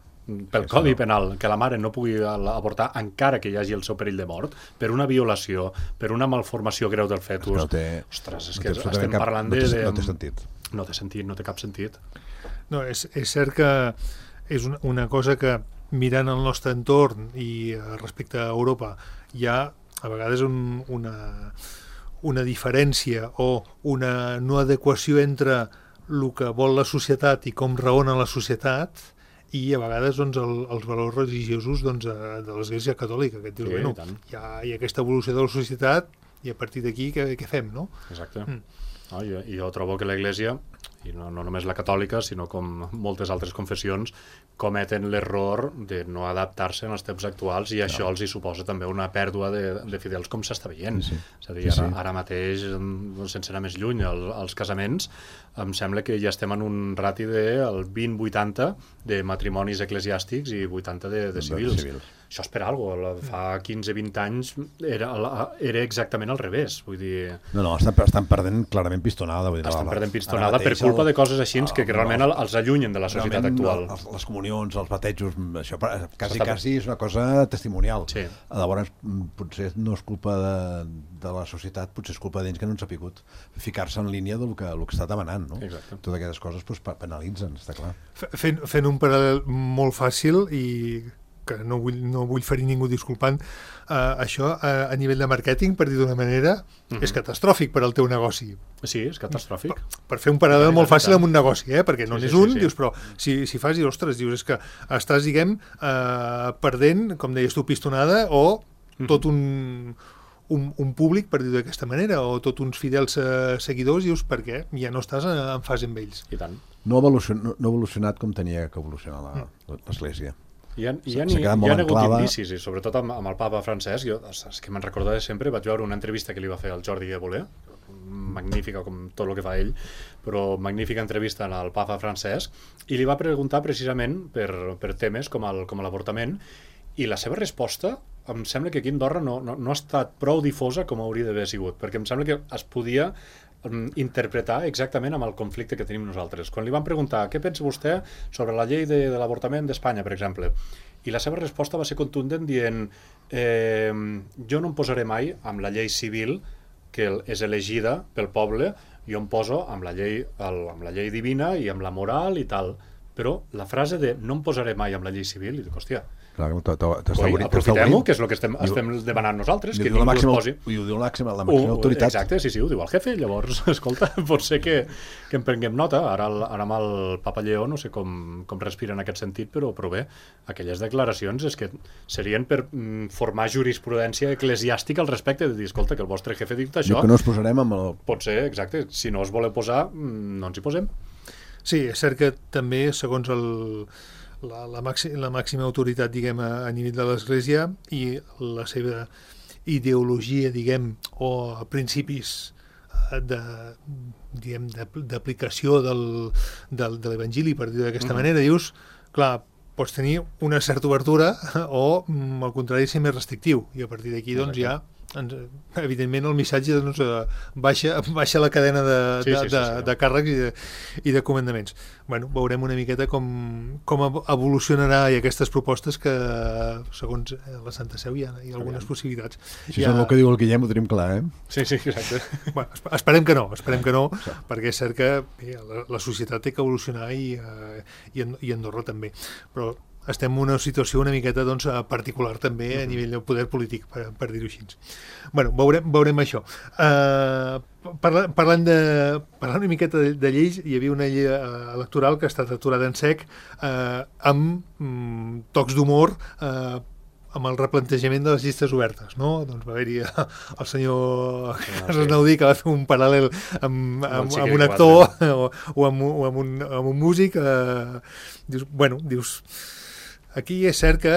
pel Codi Penal, que la mare no pugui avortar encara que hi hagi el seu perill de mort, per una violació, per una malformació greu del fetus. Ostres, és que estem parlant de... No té sentit. No té sentit, no té cap sentit. No, és cert que és una cosa que mirant el nostre entorn i respecte a Europa hi ha a vegades una diferència o una no adequació entre el que vol la societat i com raona la societat i a vegades doncs, els valors religiosos doncs, de l'Església Catòlica, que et dius, bueno, hi ha aquesta evolució de la societat i a partir d'aquí què fem, no? Exacte. Jo trobo que l'Església, i no només la catòlica, sinó com moltes altres confessions, cometen l'error de no adaptar-se en els temps actuals i això els hi suposa també una pèrdua de fidels com s'està veient. És a dir, ara mateix, sense anar més lluny, els casaments, em sembla que ja estem en un rati del 20-80 de matrimonis eclesiàstics i 80 de civils. Això és per alguna cosa. Fa 15-20 anys era exactament al revés. Vull dir... No, estan perdent clarament pistonada. Estan perdent pistonada per culpa de coses així que realment els allunyen de la societat actual. Les comunions, els batejos, això quasi és una cosa testimonial. Llavors, potser no és culpa de la societat, potser és culpa d'ells que no ens ha picut ficar-se en línia del que està demanant. Totes aquestes coses penalitzen, està clar. Fent un paral·lel molt fàcil i que no vull ferir ningú disculpant, això a nivell de màrqueting, per dir d'una manera, és catastròfic per al teu negoci. Sí, és catastròfic. Per fer un paral·lel molt fàcil amb un negoci, perquè no n'és un, dius, però si fas, ostres, dius, és que estàs, diguem, perdent, com deies tu, pistonada, o tot un públic, per dir-ho d'aquesta manera, o tots uns fidels seguidors, dius, perquè ja no estàs en fase amb ells. I tant. No ha evolucionat com tenia que evolucionar l'Església. Hi ha hagut indicis, i sobretot amb el papa Francesc, jo, és que me'n recordaré sempre, vaig veure una entrevista que li va fer al Jordi Evoler, magnífica com tot el que fa ell, però magnífica entrevista al papa Francesc, i li va preguntar precisament per temes com l'avortament, i la seva resposta em sembla que aquí a Andorra no ha estat prou difosa com hauria d'haver sigut, perquè em sembla que es podia interpretar exactament amb el conflicte que tenim nosaltres. Quan li van preguntar què pensa vostè sobre la llei de l'avortament d'Espanya, per exemple, i la seva resposta va ser contundent dient jo no em posaré mai amb la llei civil que és elegida pel poble, jo em poso amb la llei divina i amb la moral i tal, però la frase de no em posaré mai amb la llei civil, i dic, hòstia, aprofitem-ho, que és el que estem demanant nosaltres, que ningú es posi. I ho diu la màxima autoritat. Exacte, sí, ho diu el jefe, llavors, escolta, pot ser que en prenguem nota, ara amb el Papa Lleó no sé com respira en aquest sentit, però bé, aquelles declaracions és que serien per formar jurisprudència eclesiàstica al respecte, de dir, escolta, que el vostre jefe ha dit això. Diu que no ens posarem amb el... Pot ser, exacte, si no es voleu posar, no ens hi posem. Sí, és cert que també, segons la màxima autoritat, diguem, a nivell de l'Església i la seva ideologia, diguem, o principis d'aplicació de l'Evangeli, per dir-ho d'aquesta manera, dius, clar, pots tenir una certa obertura o, al contrari, ser més restrictiu, i a partir d'aquí, doncs, ja evidentment el missatge doncs, baixa la cadena de càrrecs i de comandaments. Bueno, veurem una miqueta com evolucionarà i aquestes propostes que segons la Santa Seu hi ha algunes possibilitats. Si és el que diu el Guillem ho tenim clar, Sí, exacte. Bueno, esperem que no, perquè és cert que la societat té que evolucionar i Andorra també, però estem en una situació una miqueta doncs, particular també a nivell del poder polític, per dir-ho així. Bueno, veurem això. Parlant una miqueta de lleis, hi havia una llei electoral que ha estat aturada en sec amb tocs d'humor amb el replantejament de les llistes obertes, no? Doncs va haver-hi el senyor Carles Naudí que va fer un paral·lel amb un actor o amb un músic. Dius, aquí és cert que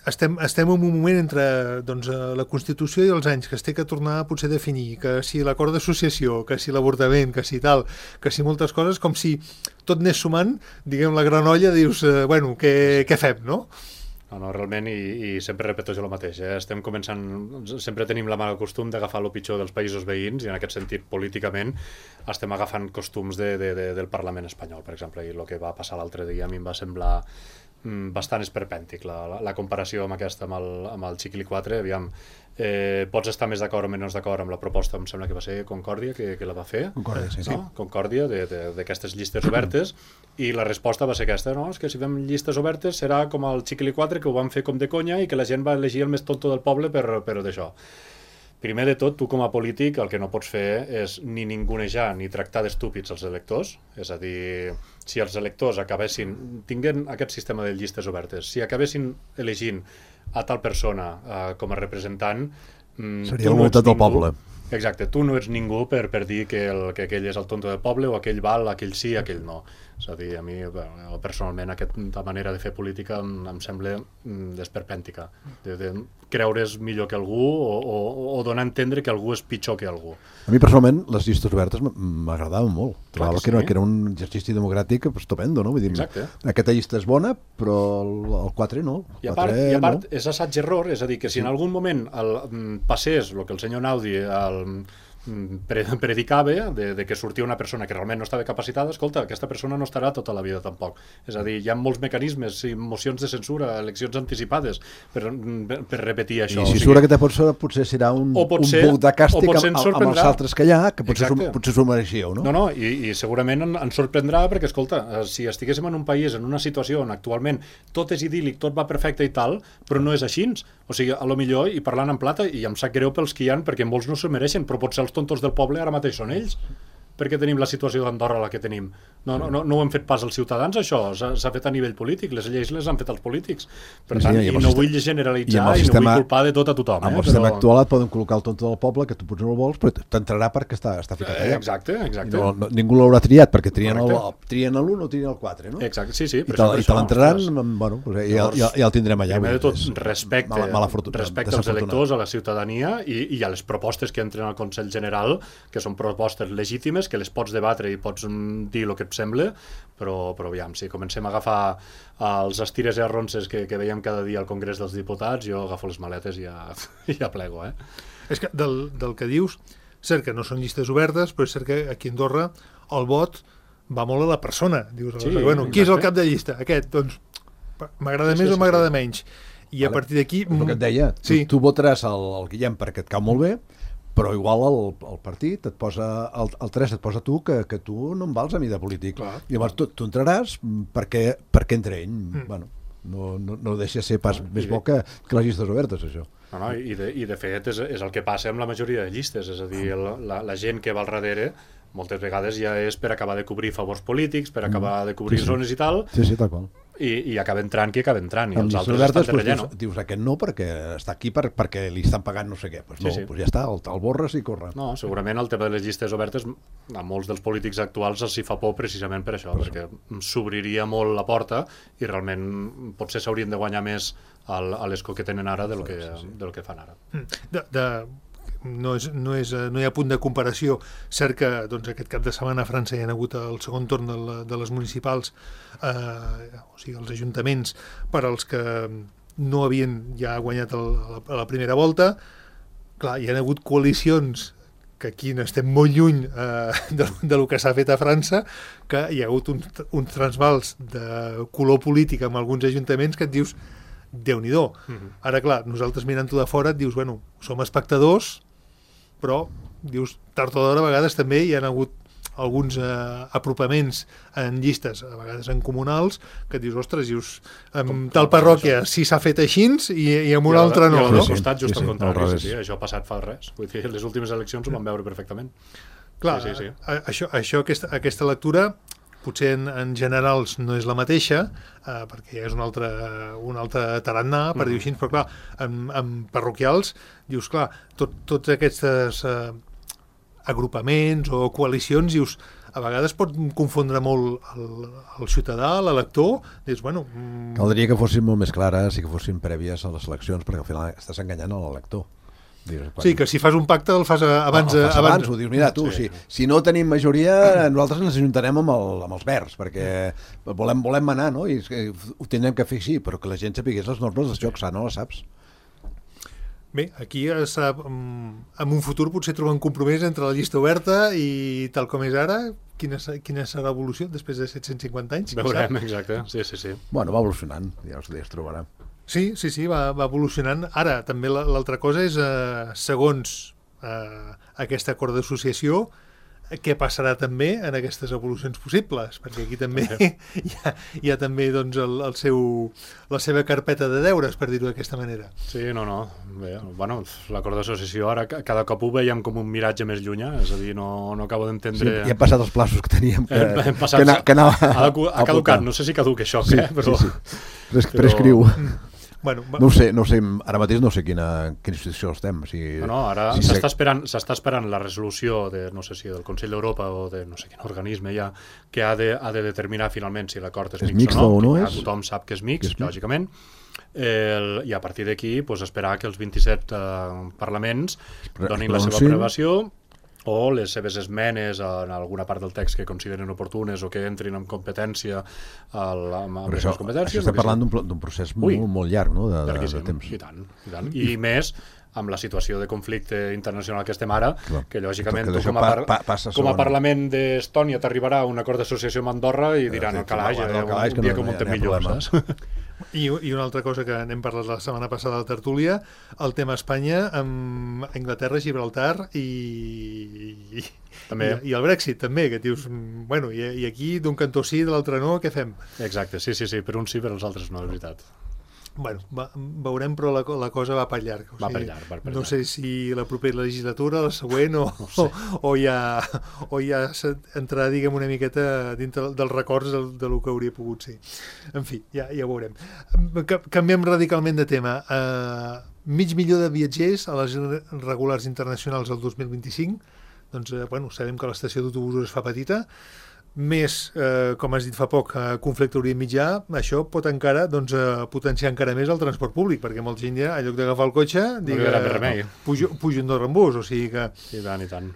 estem en un moment entre doncs, la Constitució i els anys que es té que tornar potser a definir, que si l'acord d'associació, que si l'avortament, que si tal, que si moltes coses, com si tot anés sumant, diguem, la gran olla, dius, bueno, què fem, no? No, realment, i sempre repeto jo el mateix, estem començant, sempre tenim la mal costum d'agafar el pitjor dels països veïns i en aquest sentit políticament estem agafant costums del Parlament espanyol, per exemple, i el que va passar l'altre dia a mi em va semblar bastant esperpèntic la comparació amb aquesta, amb el Xiquili 4. Aviam, pots estar més d'acord o menys d'acord amb la proposta, em sembla que va ser Concòrdia que la va fer, Concòrdia, sí. Concòrdia, d'aquestes llistes obertes, i la resposta va ser aquesta, no? És que si fem llistes obertes serà com el Xiquili 4, que ho van fer com de conya i que la gent va elegir el més tonto del poble per d'això. Primer de tot, tu com a polític el que no pots fer és ni ningunejar ni tractar d'estúpids els electors, és a dir, si els electors tinguin aquest sistema de llistes obertes, si acabessin elegint a tal persona com a representant, seria la voluntat del poble. Exacte, tu no ets ningú per dir que aquell és el tonto del poble o aquell val, aquell sí, aquell no. És a dir, a mi personalment aquesta manera de fer política em sembla esperpèntica, de creure's millor que algú o donar a entendre que algú és pitjor que algú. A mi personalment les llistes obertes m'agradaven molt. Trobava que era un exercici democràtic estupendo, no? Vull dir, aquesta llista és bona, però el 4 no. I a part és assaig-error, és a dir, que si en algun moment passés el que el senyor Naudi predicava de que sortia una persona que realment no estava capacitada, escolta, aquesta persona no estarà tota la vida tampoc. És a dir, hi ha molts mecanismes, mocions de censura, eleccions anticipades per repetir això. I si surt aquesta persona potser serà un buc de càstig amb els altres que hi ha, que potser s'ho mereixíeu, no? No, i segurament ens sorprendrà perquè, escolta, si estiguéssim en un país, en una situació on actualment tot és idíl·lic, tot va perfecte i tal, però no és així. O sigui, a lo millor, i parlant en plata, i em sap greu pels que hi ha, perquè molts no s'ho mereixen, però potser els tontos del poble ara mateix són ells. perquè tenim la situació d'Andorra la que tenim. No ho hem fet pas els ciutadans, això. S'ha fet a nivell polític. Les lleis les han fet els polítics. Per tant, i no vull generalitzar i no vull culpar de tot a tothom. Amb el sistema actual et poden col·locar el tonto del poble, que tu potser no el vols, però t'entrarà perquè està ficat allà. Exacte. Ningú l'haurà triat, perquè trien l'1 o trien el 4, no? Exacte, sí. I te l'entraran, bueno, ja el tindrem allà. Primer de tot, respecte als electors, a la ciutadania i a les propostes que entren al Consell General, que són propostes legítimes, que les pots debatre i pots dir el que et sembla, però aviam, si comencem a agafar els estires i arronses que veiem cada dia al Congrés dels Diputats, jo agafo les maletes i ja plego, És que del que dius, cert que no són llistes obertes, però és cert que aquí a Andorra el vot va molt a la persona. Dius, sí, bueno, qui és el cap de llista? Aquest, doncs, m'agrada més o m'agrada menys. I a partir d'aquí... És el que et deia, tu votaràs el Guillem perquè et cau molt bé, però igual el partit et posa, el 3 et posa tu, que tu no en vals a mi de polític. Clar. I llavors tu entraràs perquè entra ell. Bueno, no deixa ser pas més bo que les llistes obertes, això. No, i de fet és el que passa amb la majoria de llistes, és a dir, la gent que va al darrere moltes vegades ja és per acabar de cobrir favors polítics, per acabar de cobrir zones i tal, Sí, tal qual. i acaba entrant qui acaba entrant, i Amb els llistes altres obertes, estan de relleno. dius aquest no perquè està aquí perquè li estan pagant no sé què. Pues no, Sí. pues ja està, el borres i corre. No, segurament el tema de les llistes obertes a molts dels polítics actuals els hi fa por precisament per això, perquè s'obriria molt la porta i realment potser s'haurien de guanyar més a l'escó que tenen ara del que fan ara. No hi ha punt de comparació. Cert que doncs, aquest cap de setmana a França hi ha hagut el segon torn de les municipals, o sigui, els ajuntaments, per als que no havien ja guanyat a la primera volta. Clar, hi ha hagut coalicions que aquí n'estem molt lluny del que s'ha fet a França, que hi ha hagut uns transvals de color polític amb alguns ajuntaments que et dius, Déu-n'hi-do. Ara, clar, nosaltres mirant-ho de fora et dius, bueno, som espectadors, però, dius, tard o d'hora a vegades també hi ha hagut alguns apropaments en llistes, a vegades en comunals, que et dius, ostres, amb tal parròquia sí s'ha fet així i amb una altra no. I al no? costat just al contrari, sí. això ha passat fa res. Vull dir, les últimes eleccions ho vam veure perfectament. Clar, Sí. aquesta lectura potser en generals no és la mateixa, perquè és un altre tarannà, per dir-ho així, però clar, en parroquials, dius, clar, tots aquests agrupaments o coalicions, dius, a vegades pot confondre molt el ciutadà, l'elector, dius, bueno... Caldria que fossin molt més clares i que fossin prèvies a les eleccions, perquè al final estàs enganyant a l'elector. Sí, que si fas un pacte el fas abans... Ho dius, mira, tu, si no tenim majoria, nosaltres ens ajuntarem amb els verds, perquè volem manar, no? I ho tindrem que fer així, però que la gent sapigués les normes del joc, no les saps. Bé, aquí en un futur potser trobar un compromís entre la llista oberta i tal com és ara. Quina serà l'evolució després de 750 anys? Veurem, exacte, sí. Bueno, va evolucionant, ja es trobarà. Sí, va evolucionant. Ara, també l'altra cosa és, segons aquest acord d'associació, què passarà també en aquestes evolucions possibles, perquè aquí també hi ha també doncs, la seva carpeta de deures, per dir-ho d'aquesta manera. Sí, no. Bé, bueno, l'acord d'associació ara cada cop ho veiem com un miratge més llunyà, és a dir, no acabo d'entendre... Sí, ja hem passat els plaços que teníem que anava ha caducat, no sé si caduca això, però... Prescriu. Bueno, no ho sé, ara mateix no sé quina situació estem. Ara s'està esperant la resolució no sé si del Consell d'Europa o de no sé quin organisme ja, que ha de determinar finalment si l'acord és mixt o no. Tothom sap que és mixt, lògicament. I a partir d'aquí esperar que els 27 parlaments donin la seva aprovació o les seves esmenes en alguna part del text que consideren oportunes o que entrin en competència amb les seves competències. Això està parlant d'un procés molt llarg, no?, de temps. I tant. I més amb la situació de conflicte internacional que estem ara, que lògicament tu com a Parlament d'Estònia t'arribarà un acord d'associació amb Andorra i diran, calaix, un dia que ho muntem millor, saps? I una altra cosa que n'hem parlat la setmana passada a la tertúlia, el tema Espanya amb Anglaterra, Gibraltar i el Brexit també, que dius, bueno, i aquí d'un cantó sí, de l'altre no, què fem? Exacte, sí, per uns sí, per als altres no, és veritat. Bueno, veurem, però la cosa va per llarg. Va per llarg. No sé si la propera legislatura, la següent, o ja entrarà, diguem, una miqueta dintre dels records del que hauria pogut ser. En fi, ja ho veurem. Canviem radicalment de tema. 500.000 de viatgers a les regulars internacionals el 2025. Doncs, sabem que l'estació d'autobusos es fa petita. Més, com has dit fa poc, conflicte Orient Mitjà, això pot encara potenciar encara més el transport públic, perquè molta gent ja, en lloc d'agafar el cotxe, pujo en dos rembús, o sigui que... I tant.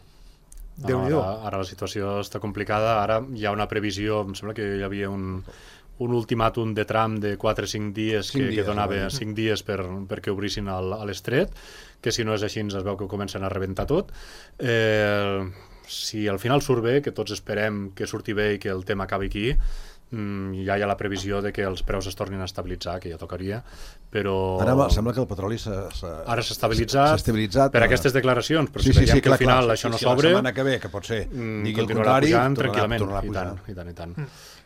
Déu-n'hi-do. Ara la situació està complicada, ara hi ha una previsió, em sembla que hi havia un ultimàtum de tram de 4 o 5 dies que donava 5 dies perquè obrissin a l'estret, que si no és així es veu que comencen a rebentar tot. Si al final surt bé, que tots esperem que surti bé i que el tema acabi aquí, ja hi ha la previsió de que els preus es tornin a estabilitzar, que ja tocaria, però... Ara sembla que el petroli ara s'ha estabilitzat per aquestes declaracions, però si veiem que al final això no s'obre... La setmana que ve, que pot ser, digui el continuarà contrari, pujant tranquil·lament, tornarà i tant.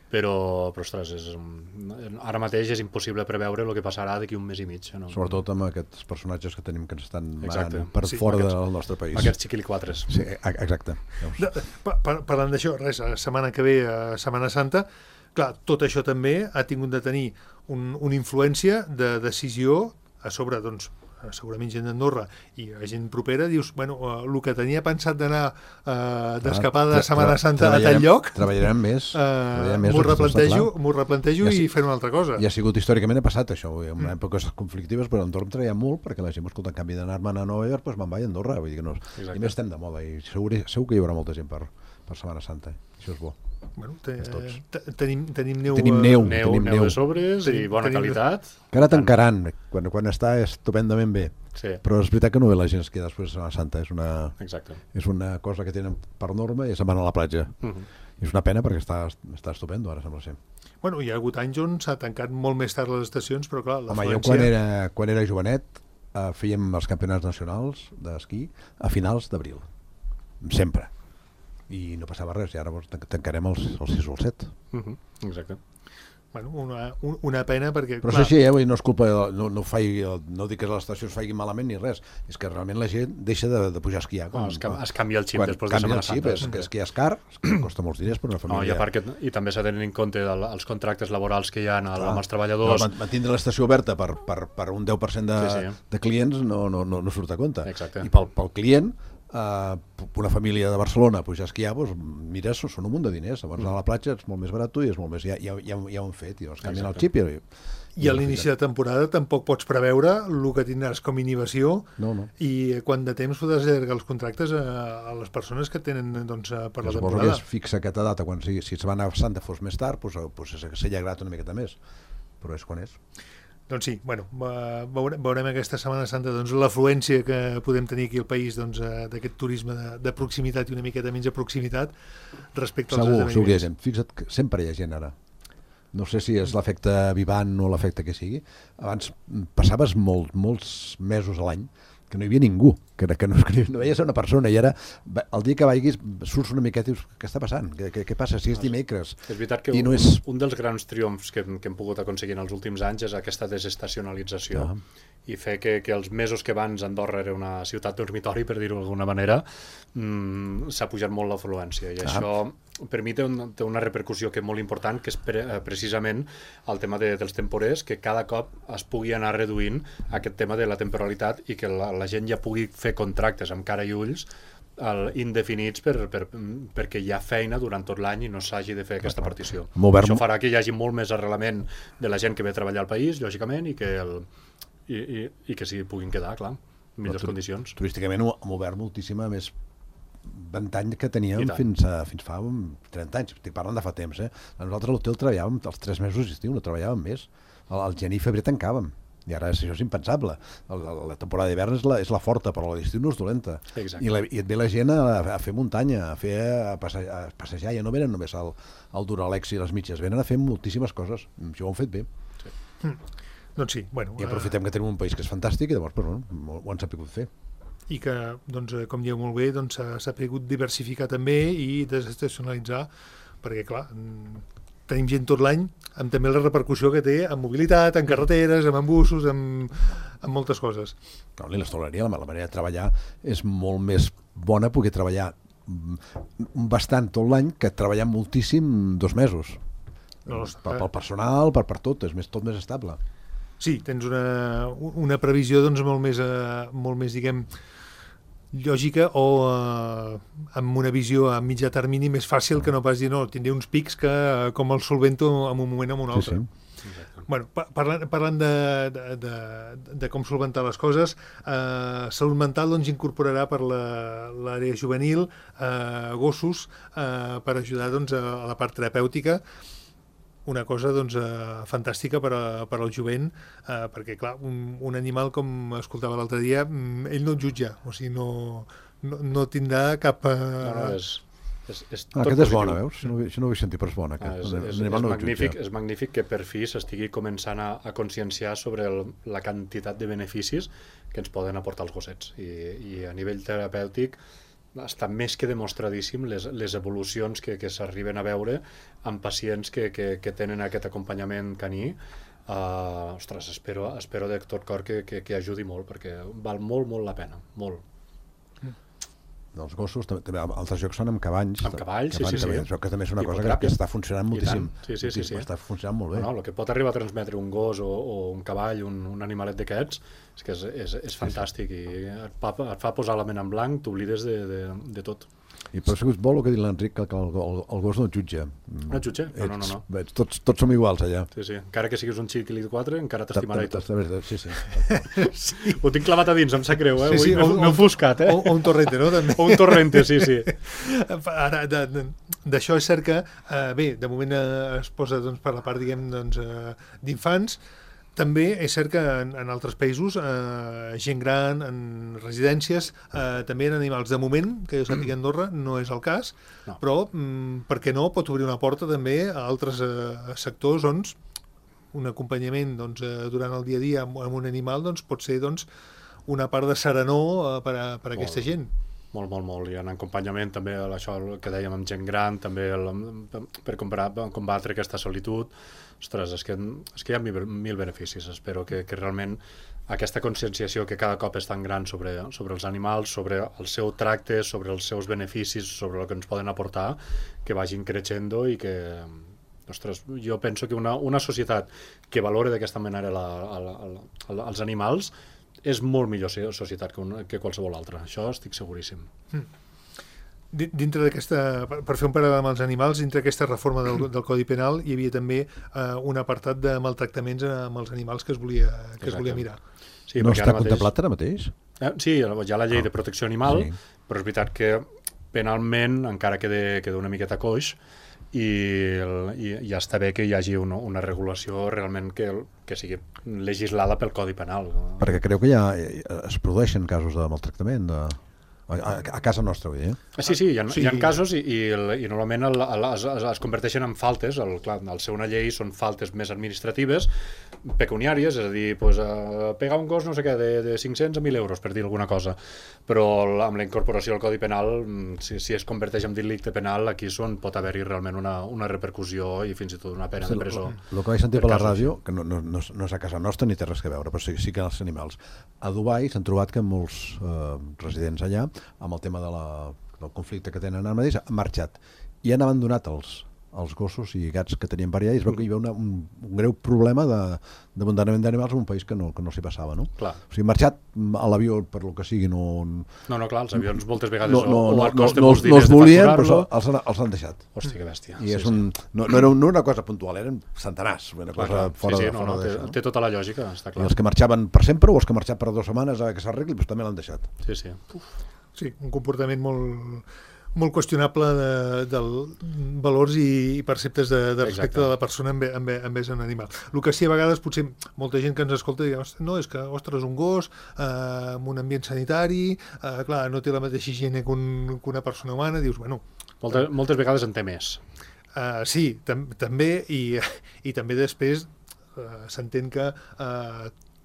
Però ostres, ara mateix és impossible preveure el que passarà d'aquí un mes i mig. No? Sobretot amb aquests personatges que tenim que ens estan manant per Sí, fora del nostre país. Aquests xiquiliquatres. Sí, exacte. Parlant d'això, res, la setmana que ve, Setmana Santa, clar, tot això també ha tingut de tenir una influència de decisió a sobre, doncs, segurament gent d'Andorra i gent propera, dius, bueno, el que tenia pensat d'anar d'escapada de Setmana Santa a tal lloc, treballarem més, m'ho replantejo i fer una altra cosa. I ha sigut, històricament ha passat això, en èpoques conflictives, però a Andorra em treballar molt, perquè la gent, escolta, en canvi d'anar-me'n a Nova York, doncs me'n vaig a Andorra, vull dir que no, i més estem de moda, i segur que hi haurà molta gent per Setmana Santa, això és bo. Bueno, tenim neu de sobres i bona qualitat. Que ara tancaran, quan està estupendament bé. Sí. Però és veritat que no ve la gent que després de Setmana Santa. Exacte. És una cosa que tenen per norma i se'n van a la platja. I és una pena perquè està estupendo, ara sembla ser. Bueno, hi ha hagut anys on s'ha tancat molt més tard les estacions, però clar, Home, jo quan era jovenet fèiem els campionats nacionals d'esquí a finals d'abril. Sempre. I no passava res, i ara tancarem els 6 o el 7. Exacte. Bueno, una pena perquè... Però és així, no és culpa, no dic que les estacions faiguin malament ni res, és que realment la gent deixa de pujar a esquiar. Es canvia el xip després de Setmana Santa. És que esquiar és car, costa molts diners per una família. I també s'ha de tenir en compte els contractes laborals que hi ha amb els treballadors. Mantindre l'estació oberta per un 10% de clients no surt a compte. Exacte. I pel client, una família de Barcelona pujar a esquiar, doncs, mira, són un munt de diners. Llavors a la platja és molt més barat i és molt més... Ja ho han fet, i llavors canvien el xip. I a l'inici de temporada tampoc pots preveure el que tindràs com inhibició i quant de temps podràs allargar els contractes a les persones que tenen per la temporada. Suposo que es fixa aquesta data, si Setmana Santa fos més tard, doncs s'ha allargat una miqueta més, però és quan és. Doncs sí, bueno, veurem aquesta Setmana Santa l'afluència que podem tenir aquí al país d'aquest turisme de proximitat i una miqueta menys de proximitat respecte als esdeveniments. Segur que hi ha gent. Fixa't que sempre hi ha gent ara. No sé si és l'efecte Vivant o l'efecte que sigui. Abans passaves molts mesos a l'any que no hi havia ningú, que no veies una persona, i ara el dia que vagis surts una miqueta i dius, què està passant? Què passa si és dimecres? És veritat que un dels grans triomfs que hem pogut aconseguir en els últims anys és aquesta desestacionalització i fer que els mesos que abans Andorra era una ciutat dormitori, per dir-ho d'alguna manera, s'ha pujat molt l'afluència, i això per mi té una repercussió que és molt important, que és precisament el tema dels temporers, que cada cop es pugui anar reduint aquest tema de la temporalitat i que la gent ja pugui fer contractes amb cara i ulls indefinits perquè hi ha feina durant tot l'any i no s'hagi de fer aquesta partició. Això farà que hi hagi molt més arrelament de la gent que ve a treballar al país, lògicament, i que s'hi puguin quedar, clar, en millors condicions. Turísticament hem obert moltíssima més ventall que teníem fins fa 30 anys. Estic parlant de fa temps. Nosaltres a l'hotel treballàvem els 3 mesos d'estiu, no treballàvem més. Al gener i febrer tancàvem. I ara això és impensable. La temporada d'hivern és la forta, però l'estiu no és dolenta. I et ve la gent a fer muntanya, a passejar. Ja no venen només al Duralex i les mitges, venen a fer moltíssimes coses. Això ho han fet bé. Doncs sí, bueno... I aprofitem que tenim un país que és fantàstic i llavors ho han sabut fer. I que, com dieu molt bé, s'ha pogut diversificar també i desestacionalitzar, perquè, clar, tenim gent tot l'any, amb també la repercussió que té en mobilitat, en carreteres, en embussos, en moltes coses. Clar, l'hostaleria, la manera de treballar és molt més bona poder treballar bastant tot l'any que treballar moltíssim 2 mesos. Pel personal, per tot, és tot més estable. Sí, tens una previsió molt més, diguem, lògica o amb una visió a mitjà termini més fàcil que no pas dir, no, tindré uns pics que com els solvento en un moment o en un altre. Sí. Bueno, parlant de com solventar les coses, Salut Mental doncs, incorporarà per l'àrea juvenil gossos per ajudar doncs, a la part terapèutica, una cosa doncs, fantàstica per al jovent, perquè clar, un animal, com escoltava l'altre dia, ell no et jutja, o sigui, no tindrà cap... Aquesta és bona, veus? Si no ho he sentit, però és bona. És magnífic que per fi s'estigui començant a conscienciar sobre la quantitat de beneficis que ens poden aportar els gossets. I a nivell terapèutic està més que demostradíssim les evolucions que s'arriben a veure amb pacients que tenen aquest acompanyament caní. Ostres, espero de tot cor que ajudi molt, perquè val molt, molt la pena, molt. Els gossos, també altres jocs són amb cavalls. Amb cavalls, sí. Això que també és una cosa que està funcionant moltíssim. Sí. Està funcionant molt bé. El que pot arribar a transmetre un gos o un cavall, un animalet d'aquests, és que és fantàstic i et fa posar la ment en blanc, t'oblides de tot. I per això és bo el que ha dit l'Enric, que el gos no et jutja. No et jutja? No. Tots som iguals allà. Sí. Encara que siguis un xiquilit 4, encara t'estimarà i tot. Sí. Ho tinc clavat a dins, em sap greu, Sí, m'he ofuscat, O un torrente, no? També. O un torrente, sí. Ara, d'això és cert que, bé, de moment es posa doncs, per la part, diguem, doncs, d'infants. També és cert que en altres països, gent gran, en residències, també en animals. De moment, que jo sàpiga a Andorra, no és el cas, però, per què no, pot obrir una porta també a altres sectors on un acompanyament doncs, durant el dia a dia amb un animal doncs, pot ser doncs, una part de serenor per a aquesta gent. Molt. I en acompanyament també això que dèiem amb gent gran, també per combatre aquesta solitud. Ostres, és que hi ha mil beneficis. Espero que realment aquesta conscienciació que cada cop és tan gran sobre els animals, sobre el seu tracte, sobre els seus beneficis, sobre el que ens poden aportar, que vagin creixent i que... Ostres, jo penso que una societat que valore d'aquesta manera els animals és molt millor societat que qualsevol altra. Això estic seguríssim. Dintre d'aquesta, per fer un paral·lel amb els animals, dintre d'aquesta reforma del Codi Penal hi havia també un apartat de maltractaments amb els animals que es volia mirar. Sí, no està contemplat ara mateix? Sí, hi ha la llei de protecció animal, però és veritat que penalment encara queda una miqueta coix i ja està bé que hi hagi una regulació realment que sigui legislada pel Codi Penal. Perquè creu que ja es produeixen casos de maltractament a casa nostra, vull dir. Sí, hi ha casos i normalment es converteixen en faltes. Al ser una llei són faltes més administratives, pecuniàries, és a dir, pegar un gos no sé què, de 500 a 1.000 euros, per dir alguna cosa. Però amb la incorporació al Codi Penal, si es converteix en delicte penal, aquí pot haver-hi realment una repercussió i fins i tot una pena de presó. El que vaig sentir per la ràdio, que no és a casa nostra ni té res que veure, però sí que els animals. A Dubai s'han trobat que molts residents allà, amb el tema del conflicte que tenen ara mateix, han marxat i han abandonat els gossos i gats que tenien per allà i es veu que hi havia un greu problema d'abandonament d'animals en un país que no s'hi passava, no? Clar. O sigui, marxat a l'avió per lo que sigui, No, clar, els avions moltes vegades no els volien, però els han deixat. Hòstia, que bèstia. I no era una cosa puntual, eren centenars, una cosa fora d'això. Té tota la lògica, està clar. I els que marxaven per sempre o els que marxaven per 2 setmanes a que s'arregli, també l'han deixat. Sí. Sí, un comportament molt qüestionable de valors i perceptes de respecte de la persona envers un animal. El que sí, a vegades, potser molta gent que ens escolta diu, no, és que, ostres, un gos en un ambient sanitari, clar, no té la mateixa higiene que una persona humana, dius, bueno... Moltes vegades en té més. Sí, també, i també després s'entén que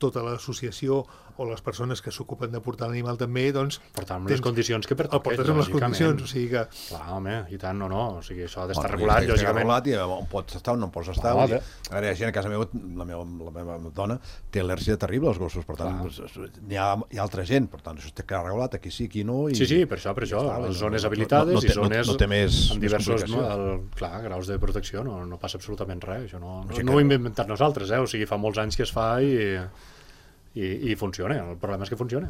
tota l'associació o les persones que s'ocupen de portar l'animal també, doncs... Portar amb les condicions que pertoquen, lògicament. El portes amb les condicions, o sigui que... Clar, home, i tant, no, o sigui, això ha d'estar regulat, lògicament. Regulat i on pots estar o no pots estar. Ara, hi ha gent a casa meva, la meva dona, té al·lèrgia terrible als gossos, per tant, hi ha altra gent, per tant, això té que regulat, aquí sí, aquí no... Sí, per això, les zones habilitades i zones amb diversos graus de protecció, no passa absolutament res, això no ho hem inventat nosaltres, o sigui, fa molts anys que es fa i funciona, el problema és que funciona.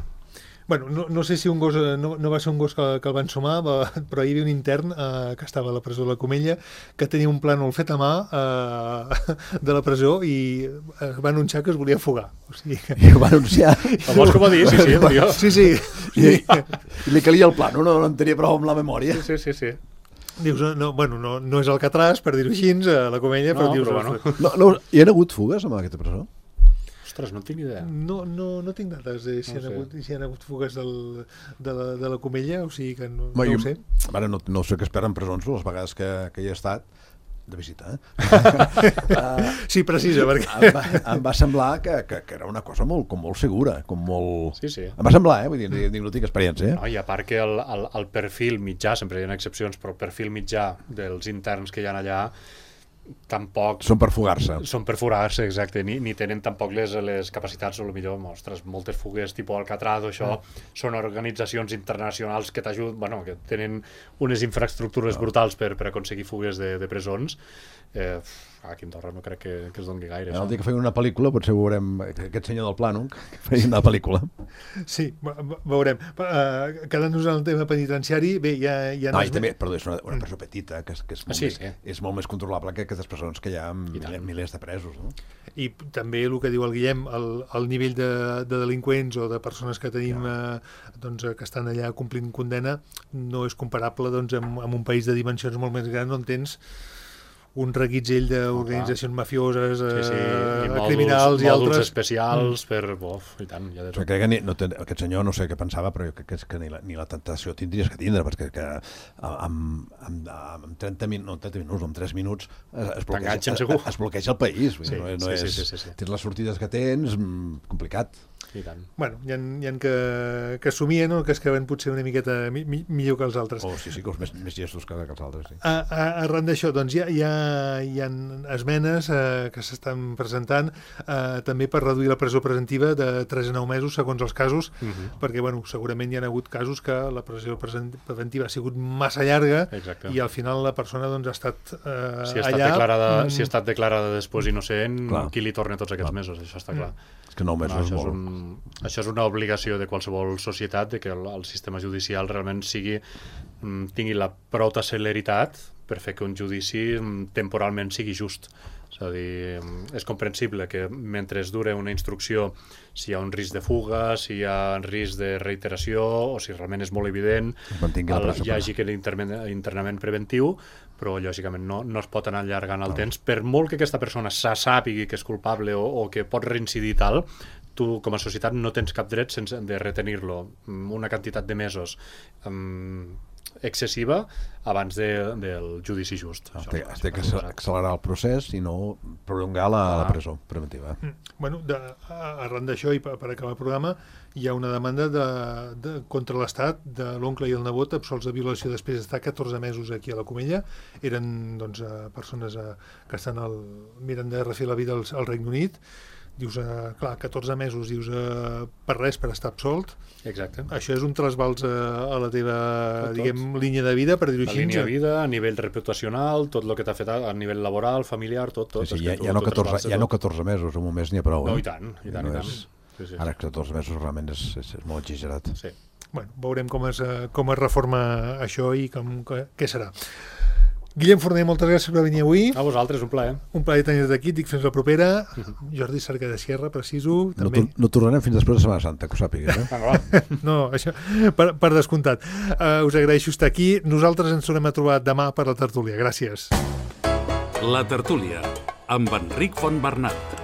Bueno, no sé si un gos, no va ser un gos que el van sumar, però hi havia un intern que estava a la presó de la Comella que tenia un plànol fet a mà de la presó i va anunciar que es volia fugar. O sigui que... I ho va anunciar. El vols com a dir, sí, el tio. Sí. I li calia el plànol, no en tenia prou amb la memòria. Sí. Dius, no és Alcatraz, per dir-ho així, a la Comella, però dius... Però bueno. No, hi ha hagut fugues amb aquesta presó? Ostres, no tinc idea. No tinc dades si hi ha hagut fugues de la Comella, o sigui que no ho sé. Ara no sé què esperen presons les vegades que hi he estat de visita, Sí, precisa, perquè... Em va semblar que era una cosa molt segura, com molt... Sí. Em va semblar, vull dir, no tinc experiència. No, i a part que el perfil mitjà, sempre hi ha excepcions, però el perfil mitjà dels interns que hi ha allà tampoc... Són per fugar-se. Són per fugar-se, exacte, ni tenen tampoc les capacitats, o millor, ostres, moltes fugues tipus Alcatraz o això, són organitzacions internacionals que t'ajuden, bueno, que tenen unes infraestructures brutals per aconseguir fugues de presons. Aquí a Andorra no crec que es doni gaire. El dia que feien una pel·lícula, potser veurem aquest senyor del plànol, que feien una pel·lícula. Sí, veurem. Quedant-nos en el tema penitenciari, bé, hi ha... No, i també, perdó, és una presó petita, que és molt més controlable que aquestes presons que hi ha amb milers de presos. No? I també el que diu el Guillem, el nivell de delinqüents o de persones que tenim que estan allà complint condena no és comparable amb un país de dimensions molt més grans on tens un reguitzell d'organitzacions mafioses, criminals i altres. Mòduls especials i tant. Crec que aquest senyor no sé què pensava, però jo crec que ni la tentació tindries que tindre, perquè amb 30 minuts, amb 3 minuts es bloqueja el país. Tens les sortides que tens, complicat. Bueno, hi ha que assumien o que es quedaven potser una miqueta millor que els altres. Sí, que els més gestos que els altres, sí. Arran d'això, doncs hi ha esmenes que s'estan presentant també per reduir la presó preventiva de 3 a 9 mesos segons els casos, perquè segurament hi ha hagut casos que la presó preventiva ha sigut massa llarga i al final la persona ha estat allà... Si ha estat declarada després innocent, qui li torna tots aquests mesos, això està clar. És que 9 mesos és molt... Això és una obligació de qualsevol societat, de que el sistema judicial realment tingui la prou celeritat per fer que un judici temporalment sigui just. És a dir, és comprensible que mentre es dure una instrucció, si hi ha un risc de fuga, si hi ha un risc de reiteració o si realment és molt evident, hi hagi aquest internament preventiu, però lògicament no es pot anar allargant el temps. Per molt que aquesta persona sàpigui que és culpable o que pot reincidir tal, tu com a societat no tens cap dret de retenir-lo una quantitat de mesos excessiva abans del judici just. Has de accelerar el procés i no prolongar la presó preventiva. Arran d'això, i per acabar el programa, hi ha una demanda contra l'Estat de l'oncle i el nebot absolts de violació després d'estar 14 mesos aquí a la Comella. Eren persones que miren de refer la vida al Regne Unit. Dius, clar, 14 mesos, dius, per res, per estar absolt. Exacte. Això és un trasbals a la teva, línia de vida, per dir-ho així. La línia de vida, a nivell reputacional, tot el que t'ha fet a nivell laboral, familiar, tot. Ja no 14 mesos, un mes n'hi ha prou. No, i tant. Ara 14 mesos realment és molt exagerat. Sí. Veurem com es reforma això i què serà. Guillem Forner, moltes gràcies per venir avui. A vosaltres, un plaer. Un plaer tenir-te aquí, dic fins la propera. Jordi Cerca de Sierra, preciso. També. No tornarem fins després de Setmana Santa, que ho sàpigues. No, això per descomptat. Us agraeixo estar aquí. Nosaltres ens tornem a trobar demà per la tertúlia. Gràcies. La tertúlia, amb Enric Fontbernat.